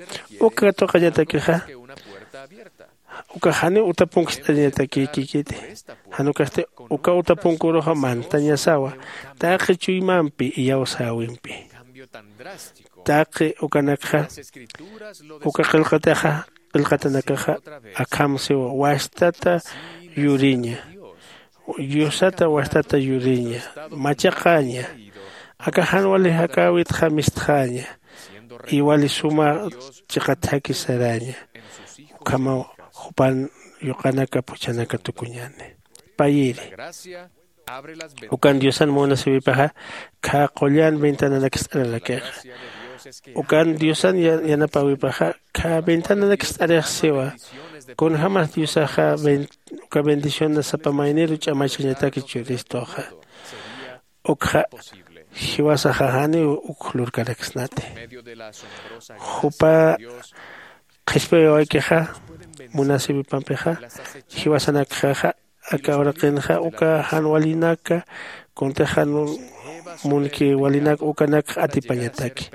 Uka katuqañatakixa ukax janiw utapunku jist'añatakïkiti. Jan ukasti uka utapunkuruxa mantañasawa taqi chuymampi iyawsäwimpi. Taqi ukanakxa uka qillqataxa qillqatanakaxa akham siwa wastata yuriña, diosata wastata yuriña, machaqaña, aka jan wali jakäwitxa mistxaña, y wali suma chiqat jaki saraña. Ukhamaw jupan yuqanaka phuchhanaka tukuñäni. Payiri, ukan diosan munasïwipaxa khä qullan ventananak jist'ararakixa. Ukan diosan yanapäwipaxa khä ventananak jist'arix siwa. Kunjämas diosaxa uka bendicionan sapa mayniru ch'amachañataki churistuxa. Ukxa jiwasaxa janiw uk lurkaraksnati. Jupa qhispiyawakixa munasïwipampixa jiwasanakxaxa aka uraqinxa uka jan walinaka kuntix jan munki walinak ukanakxa atipañataki.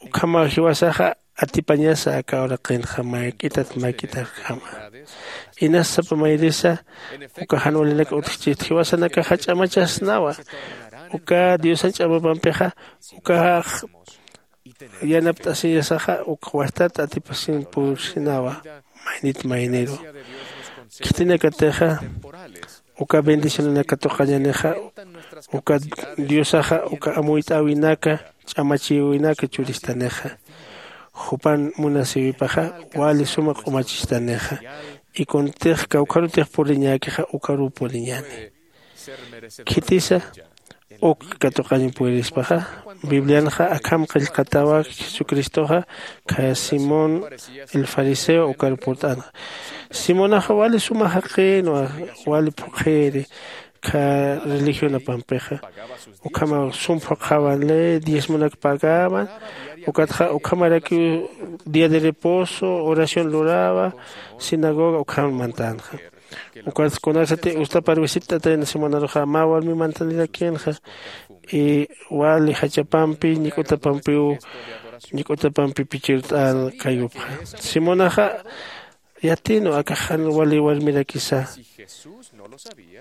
Ukhamaw jiwasaxa atipañasa aka uraqinxa mayk'itat mayk'itarjama. Inas sapa mayrisa uka jan walinak utjchit jiwasanakaxa ch'amachasnawa. Uka diosan ch'amapampixa ukax yanapt'asiñasaxa uk wajtat atipasin pursinawa maynit mayniru. Khitinakatixa uka bendicionanak katuqañanixa uka diosaxa uka amuyt'äwinaka ch'amachïwinaka churistanixa. Jupan munasïwipaxa wali suma q'umachistanixa. Y kuntix kawkharutix puriñäkixa ukaruw puriñäni. Khitisa uk katuqañ purispaxa, biblianxa akham qillqatawa jesucristoxa khaya simón el fariseo ukar purt'anxa. Simonaxa wali suma jaqinwa, wali phuqhiri kha religionapampixa. Ukhama sum phuqhawan ley diezmonak pagawan. Ukatxa ukhamarakiw día de reposo oración lurawa, sinagoga ukham mantanxa. Ukat kunasati ustapar visit'atayna simonaruxa mä warmi mantanirakinxa. Y wali jachapampi ñik'utapampiw ñik'utapampi pichirt'an kayupxa. Simonaxa yatinu akaxan wali warmirakisa.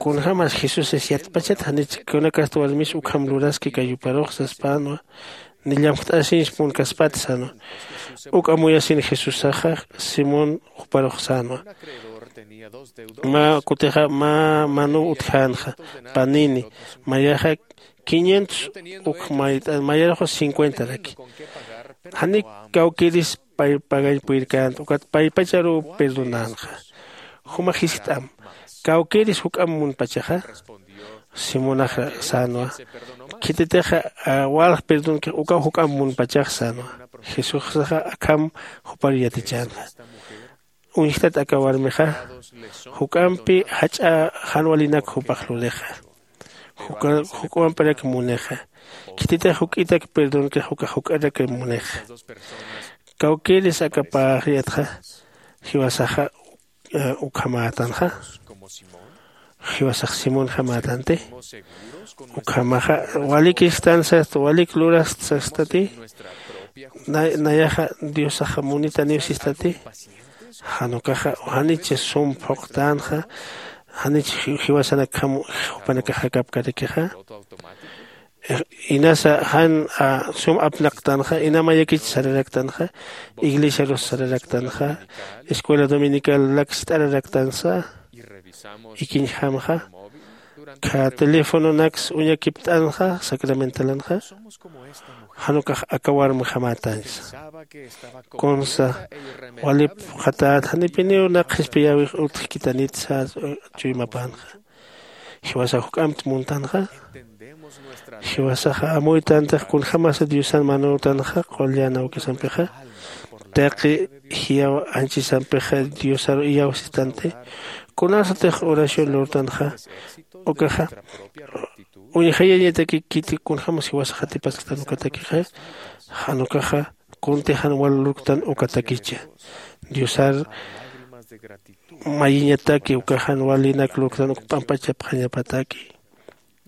Kunjämas jesusas yatpachat janich kunakasta warmis ukham luraski kayuparux saspänwa. Ni llamjt'asiñs munkaspat sänwa. Uk amuyasin jesusaxa simón juparux sänwa. Mä kutixa mä manuw utjänxa panini. Mayaxa quinientos uk mayt'an mayaruxa cincuentaraki. Janiw kawkïris pay pagañ puyrkänti ukat paypacharuw perdonänxa. Juma jiskt'am kawkïris juk'amp munpachaxa? Simonaxa sänwa. Khititixa walja perdonkix ukaw juk'amp munpachax sänwa. Jesusaxa akham jupar yatichänxa. Uñjtat aka warmixa juk'ampi jach'a jan walinak jupax lurixa. Juk'ampirak munixa. Khititix juk'itak perdonkix ukax juk'arak munixa. Kawkïris aka pä yatxa jiwasaxa ukhamätanxa? Jiwasax simonjamätanti? Ukhamaxa walik istan sasta walik lurasta sastati? Nayaxa diosaxa munitaniw sistati? Jan ukaxa janich sum phuqtänxa. Janich jiwasanakjam jupanakax jakapkarakixa. Inasa jan sum apnaqtanxa ina mayakich sararaktanxa. Iglesiarus sararaktanxa. Escuela dominical laksit'araraktansa. Ikiñjamxa kha telefononaks uñakipt'anxa sacramentalanxa. Jan ukax aka warmjamätañsa. Kunsa walip phuqhatät janipiniw naq qhispiyäwix utjkitanit sas chuymapänxa. Jiwasax juk'ampt muntanxa? Jiwasaxa amuytantix kunjämasa diosan manütanxa qullan awkisampixa? Taqi jiyaw anchisampixa diosaru iyawsistanti? Kunasatix oración lurtanxa? Ukaxa uñjayañatakikiti kunjämas jiwasax jatipasktan ukatakixa? Jan ukaxa kunti jan wal lurktan ukatakicha. Diosar mayiñataki uka jan walinak lurktan uk p'ampachapxañapataki.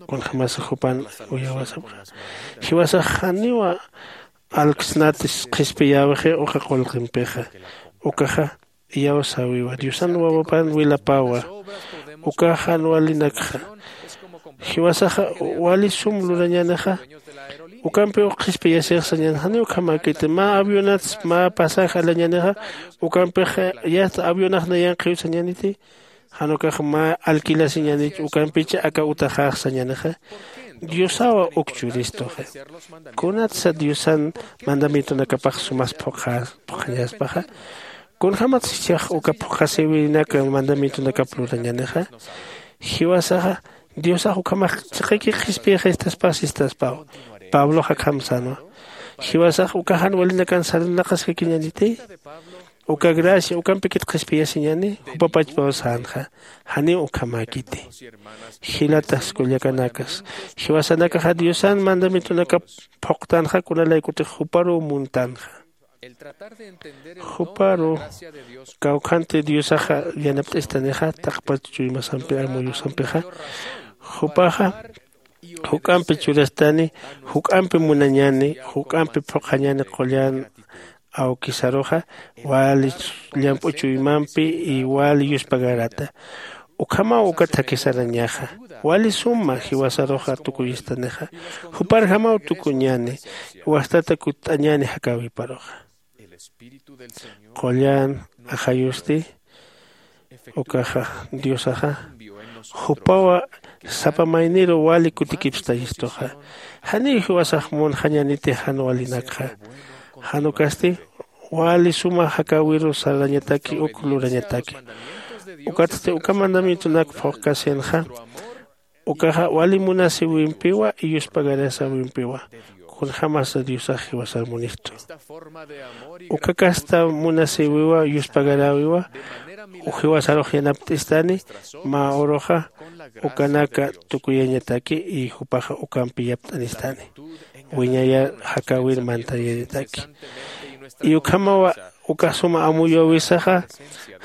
Kunjämasa jupan uyawasapxa? Jiwasax janiwa alksnatis qhispiyäwixi uka qullqimpixa. Ukaxa iyawsäwiwa diosan wawapan wilapawa. Uka jan walinakxa jiwasaxa wali sum lurañänixa? Ukampiw qhispiyasix sañän janiw ukhamäkiti mä avionats mä pasaje alañänixa. Ukampix yasta avionax nayanqhiw sañäniti? Jan ukax mä alquilasiñänich ukampich aka utaxax sañänixa? Diosawa uk churistuxa. Kunatsa diosan mandamientonakapax sumas phuqhañaspaxa? Kunjämatsa jichhax uka phuqhasïwinak mandamientonakap lurañänixa? Jiwasaxa diosax ukhamax chiqiki qhispiyixistaspa sistaspaw. Pablox akham sänwa. Jiwasax uka jan walinakan sarnaqaskakiñäniti? Uka gracia ukampikit qhispiyasiñäni jupapachpaw sänxa. Janiw ukhamäkiti. Jilatax kullakanakas, jiwasanakaxa diosan mandamientonakap phuqtanxa kunalaykutix juparuw muntanxa. Juparu kawkhanti diosaxa yanapt'istanixa taqpach chuymasampi amuyusampixa. Jupaxa juk'ampi churastani, juk'ampi munañani, juk'ampi phuqhañani qullan awkisaruxa wali llamp'u chuymampi y wali yuspagarata. Ukhamaw uka thakhi sarañaxa. Wali suma jiwasaruxa tukuyistanixa. Juparjamaw tukuñani. Wastata kutt'añani jakäwiparuxa. Qullan ajayusti ukaxa diosaxa jupawa sapa mayniru wali kutikipstayistuxa. Janiw jiwasax munxañaniti jan walinakxa. Jan ukasti wali suma jakäwiru sarañataki uk lurañataki. Ukatsti uka mandamientonak phuqkasinxa ukaxa wali munasiwimpiwa y yuspagarasäwimpiwa. Kunjämasa diosax jiwasar munistu uka kasta munasiwiwa yuspagaräwiwa. Jiwasarux yanapt'istani mä uruxa ukanaka tukuyañataki y jupaxa ukampi yapt'anistani wiñayar jakäwir mantayañataki. Y ukhamawa uka suma amuyäwisaxa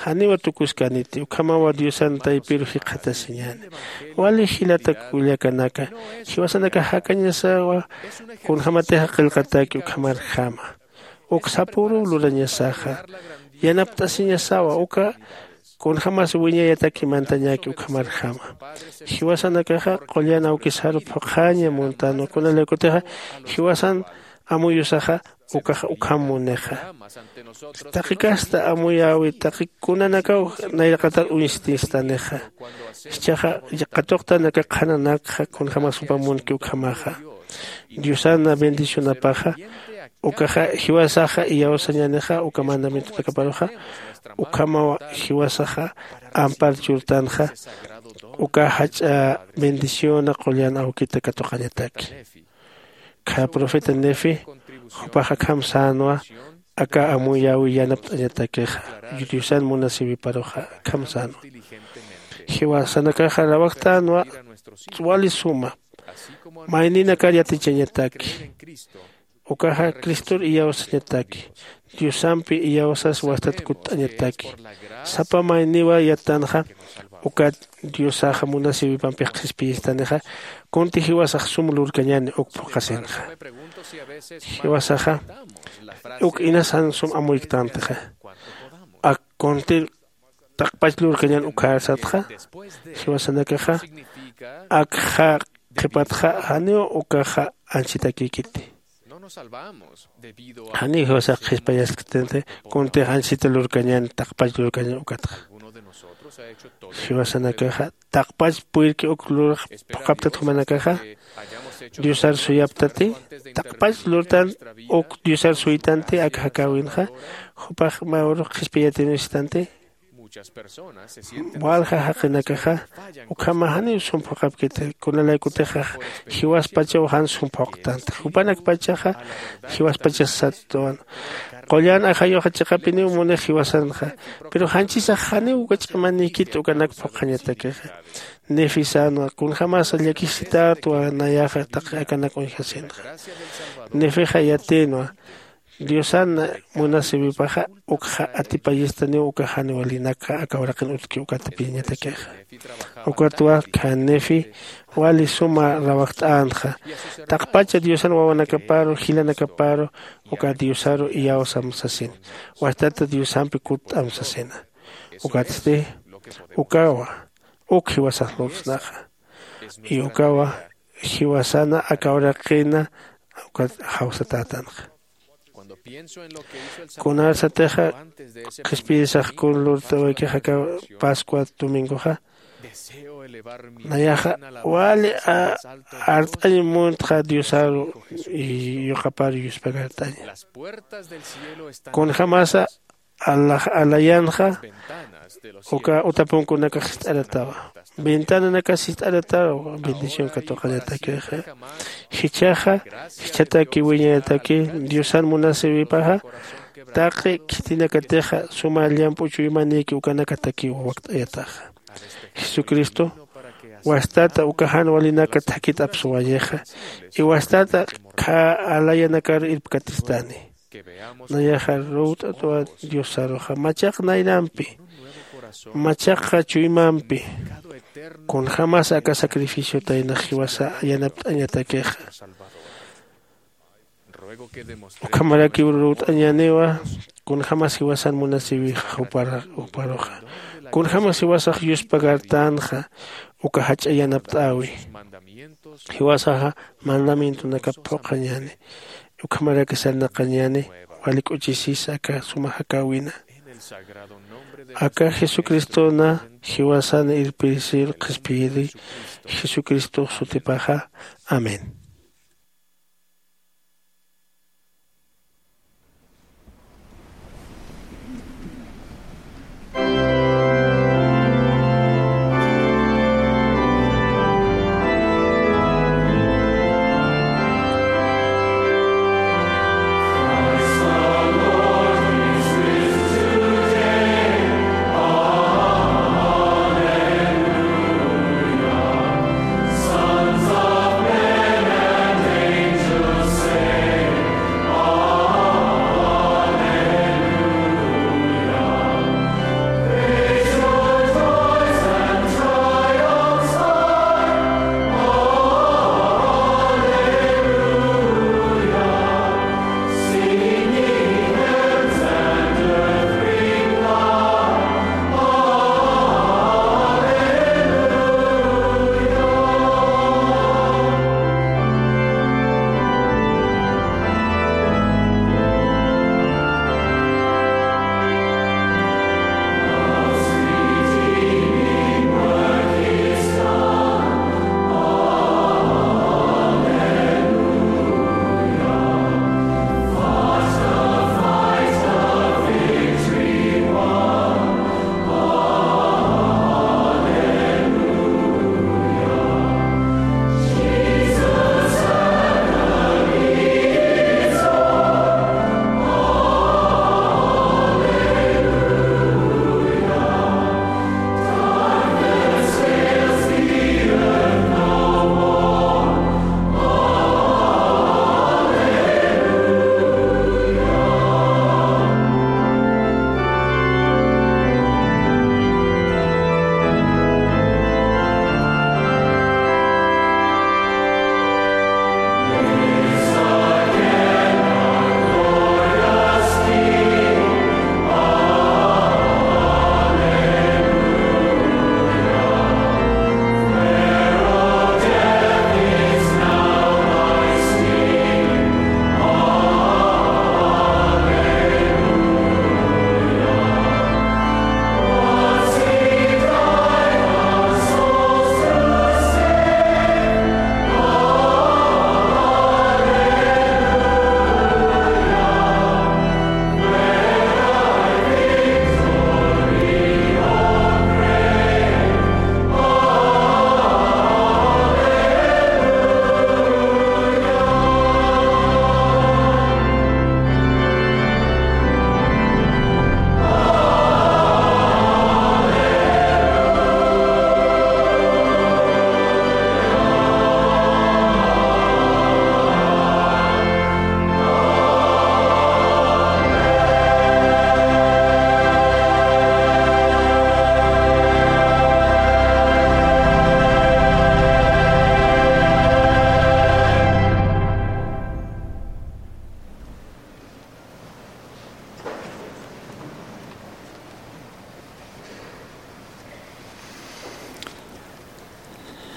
janiw atukuskaniti ukhamawa diosan taypir jikxatasiñäni. Wali jilata kullakanaka, jiwasanakax jakañasawa kunjämatixa qillqatäki ukhamarjama. Uk sapüruw lurañasaxa yanapt'asiñasawa uka kunjämas wiñayataki mantañäki ukhamarjama. Jiwasanakaxa qullan awkisaru phuqhaña muntanwa kunalaykutixa jiwasan amuyusaxa ukax ukham munixa. Taqi kasta amuyäwi taqi kunanakaw nayraqatar uñstistanixa. Jichhaxa qatuqtanaka qhananakxa kunjämas jupa munki ukhamaxa. Diosana bendicionapaxa ukaxa jiwasaxa iyawsañänixa uka mandamientonakaparuxa. Ukhamaw jiwasaxa ampar churtanxa uka jach'a bendiciona qullan awkita katuqañataki. Kha profeta nefi jupax akham sänwa aka amuyäwi yanapt'añatakixa diosan munasiwiparuxa. Akham sänwa jiwasanakaxa rawajtänwa wali suma mayninakar yatichañataki. Ukaxa cristor iyawsañataki diosampi iyawsas wastat kutt'añataki. Sapa mayniwa yattanxa ukat diosaxa munasiwipampix qhispiyistanixa kunti jiwasax sum lurkañäni uk phuqhasinxa. Jiwasaxa uk inasan sum amuyktantixa ak kuntir taqpach lurkañän ukharsatxa jiwasanakaxa akxa qhipatxa janiw ukaxa anchitakïkiti. Janiw jiwasax qhispayaskt'anti kuntix anchita lurkañän taqpach lurkañän ukatxa. Jiwasanakaxa taqpach puyrki uk lurax phuqhaptat jumanakaxa diosar suyaptati taqpach lurtan uk diosar suytanti aka jakäwinxa jupax mä urux qhispiyatinwistanti. Walja jaqinakaxa ukhama janiw sum phuqhapkiti kunalaykutixa jiwaspachaw jan sum phuqhtanti jupanakpachaxa jiwaspachas satwan. Qullan ajayuxa chiqapiniw munix jiwasanxa pero janchisax janiw uka ch'amanïkit ukanak phuqhañatakixa. Nefi sänwa kunjämasa llakisitätwa nayaxa taqi akanak uñjasinxa. Nefixa yatïnwa diosan munasiwipaxa ukxa atipayistaniw uka jan walinakxa aka uraqin utjki uka atipiñatakixa. Ukatwa khan nefi wali suma rawajt'änxa taqpacha diosan wawanakaparu jilanakaparu uka diosaru iyawsam sasin wastata diosampi kutt'am sasina. Ukatsti ukawa uk jiwasax lurt'snaxa. Y ukawa jiwasana aka uraqina ukat jawsatätanxa. Kunarsatixa qhispiyisax kun lurt'awaykixa aka pascua domingoxa nayaxa wali art'añ muntxa diosaru y yuqapar yuspagart'aña. Kunjämasa alayanxa uka utapunkunakax jist'aratawa ventananakas jist'aratawa bendición katuqañatakixa. Jichhaxa jichhataki wiñayataki diosan munasiwipaxa taqi khitinakatixa suma llamp'u chuymanïki ukanakatakiw wakt'ayataxa. Jesucristo wastata uka jan walinaka thakit apsuwayixa y wastata khä alayanakar irpkatistani. Nayaxa ruwt'atwa diosaruxa machaq naynampi machaqxa chuymampi kunjämas aka sacrificiotaynax jiwasa yanapt'añatakixa. Ukhamarakiw ruwt'añäniwa kunjämas jiwasan munasiwixa juparuxa kunjämas jiwasax yuspagartänxa uka jach'a yanapt'äwi. Jiwasaxa mandamientonakap phuqhañäni ukhamaraki sarnaqañäni wali k'uchisis aka suma jakäwina. Aka jesucristona jiwasana irpirisir qhispiyiri jesucristox sutipaxa. Amén.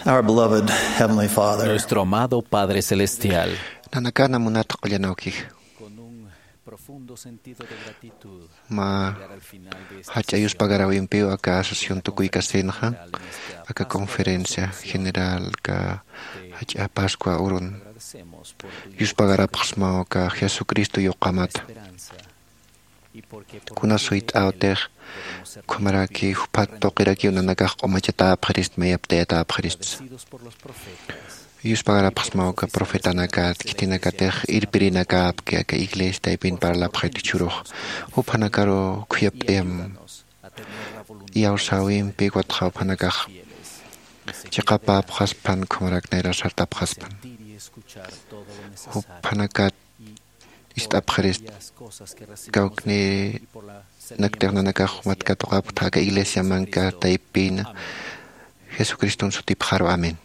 Our beloved Heavenly Father. Nuestro amado Padre Celestial. Nanakana munat qullanawkix. Con un profundo sentido de gratitud, mä llegar al final de este jach'a festival yuspagarawimpiw aka asociación tukuykasinxa, aka conferencia general ka jach'a Pascua urun. Agradecemos por tu yuspagaräpxsmaw aka Jesucristo yuqamata. Esperanza. Kuna suyt'äwtix, ukhamaraki juphat tuqirakiw nanakax q'umachatäpxirist, mayapt'ayatäpxirist. Yuspagarapxsmaw aka profetanakat, khitinakatix irpirinakäpki aka iglesia taypin parlapxit jichhürux. Juphanakaru khuyapt'ayam iyawsäwimpi, ukatxa juphanakax chiqapäpxaspan, ukhamarak nayra sartapxaspan. Juphanakat ist'apxirist, kawknïnaktix nanakax jumat katuqapxta aka iglesiamanka taypina, Jesucriston sutipxaru. Amén.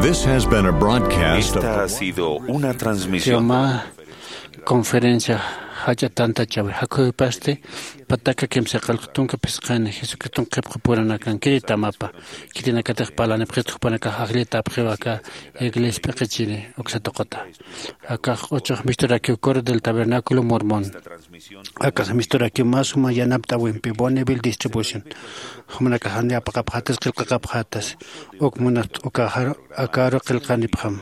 This has been a broadcast of Esta ha sido una transmisión. Conferencia jach'a tantachawi jakhuypasti pataka kimsa qillqa tunka phisqani Jesucriston qhipqapuranakan kiritamapa. Khitinakatix parlanipxit jupanakax ajllitäpxiw aka iglesia p'iqichiri uksa tuquta. Akax q'uchux misturakiw Coro del Tabernáculo Mormón. Akax misturakiw mä suma yanapt'äwimpi Bonneville Distribution. Jumanakax jan apaqapxätas, qillqaqapxätas. Uk munat uka akaru qillqanipxam.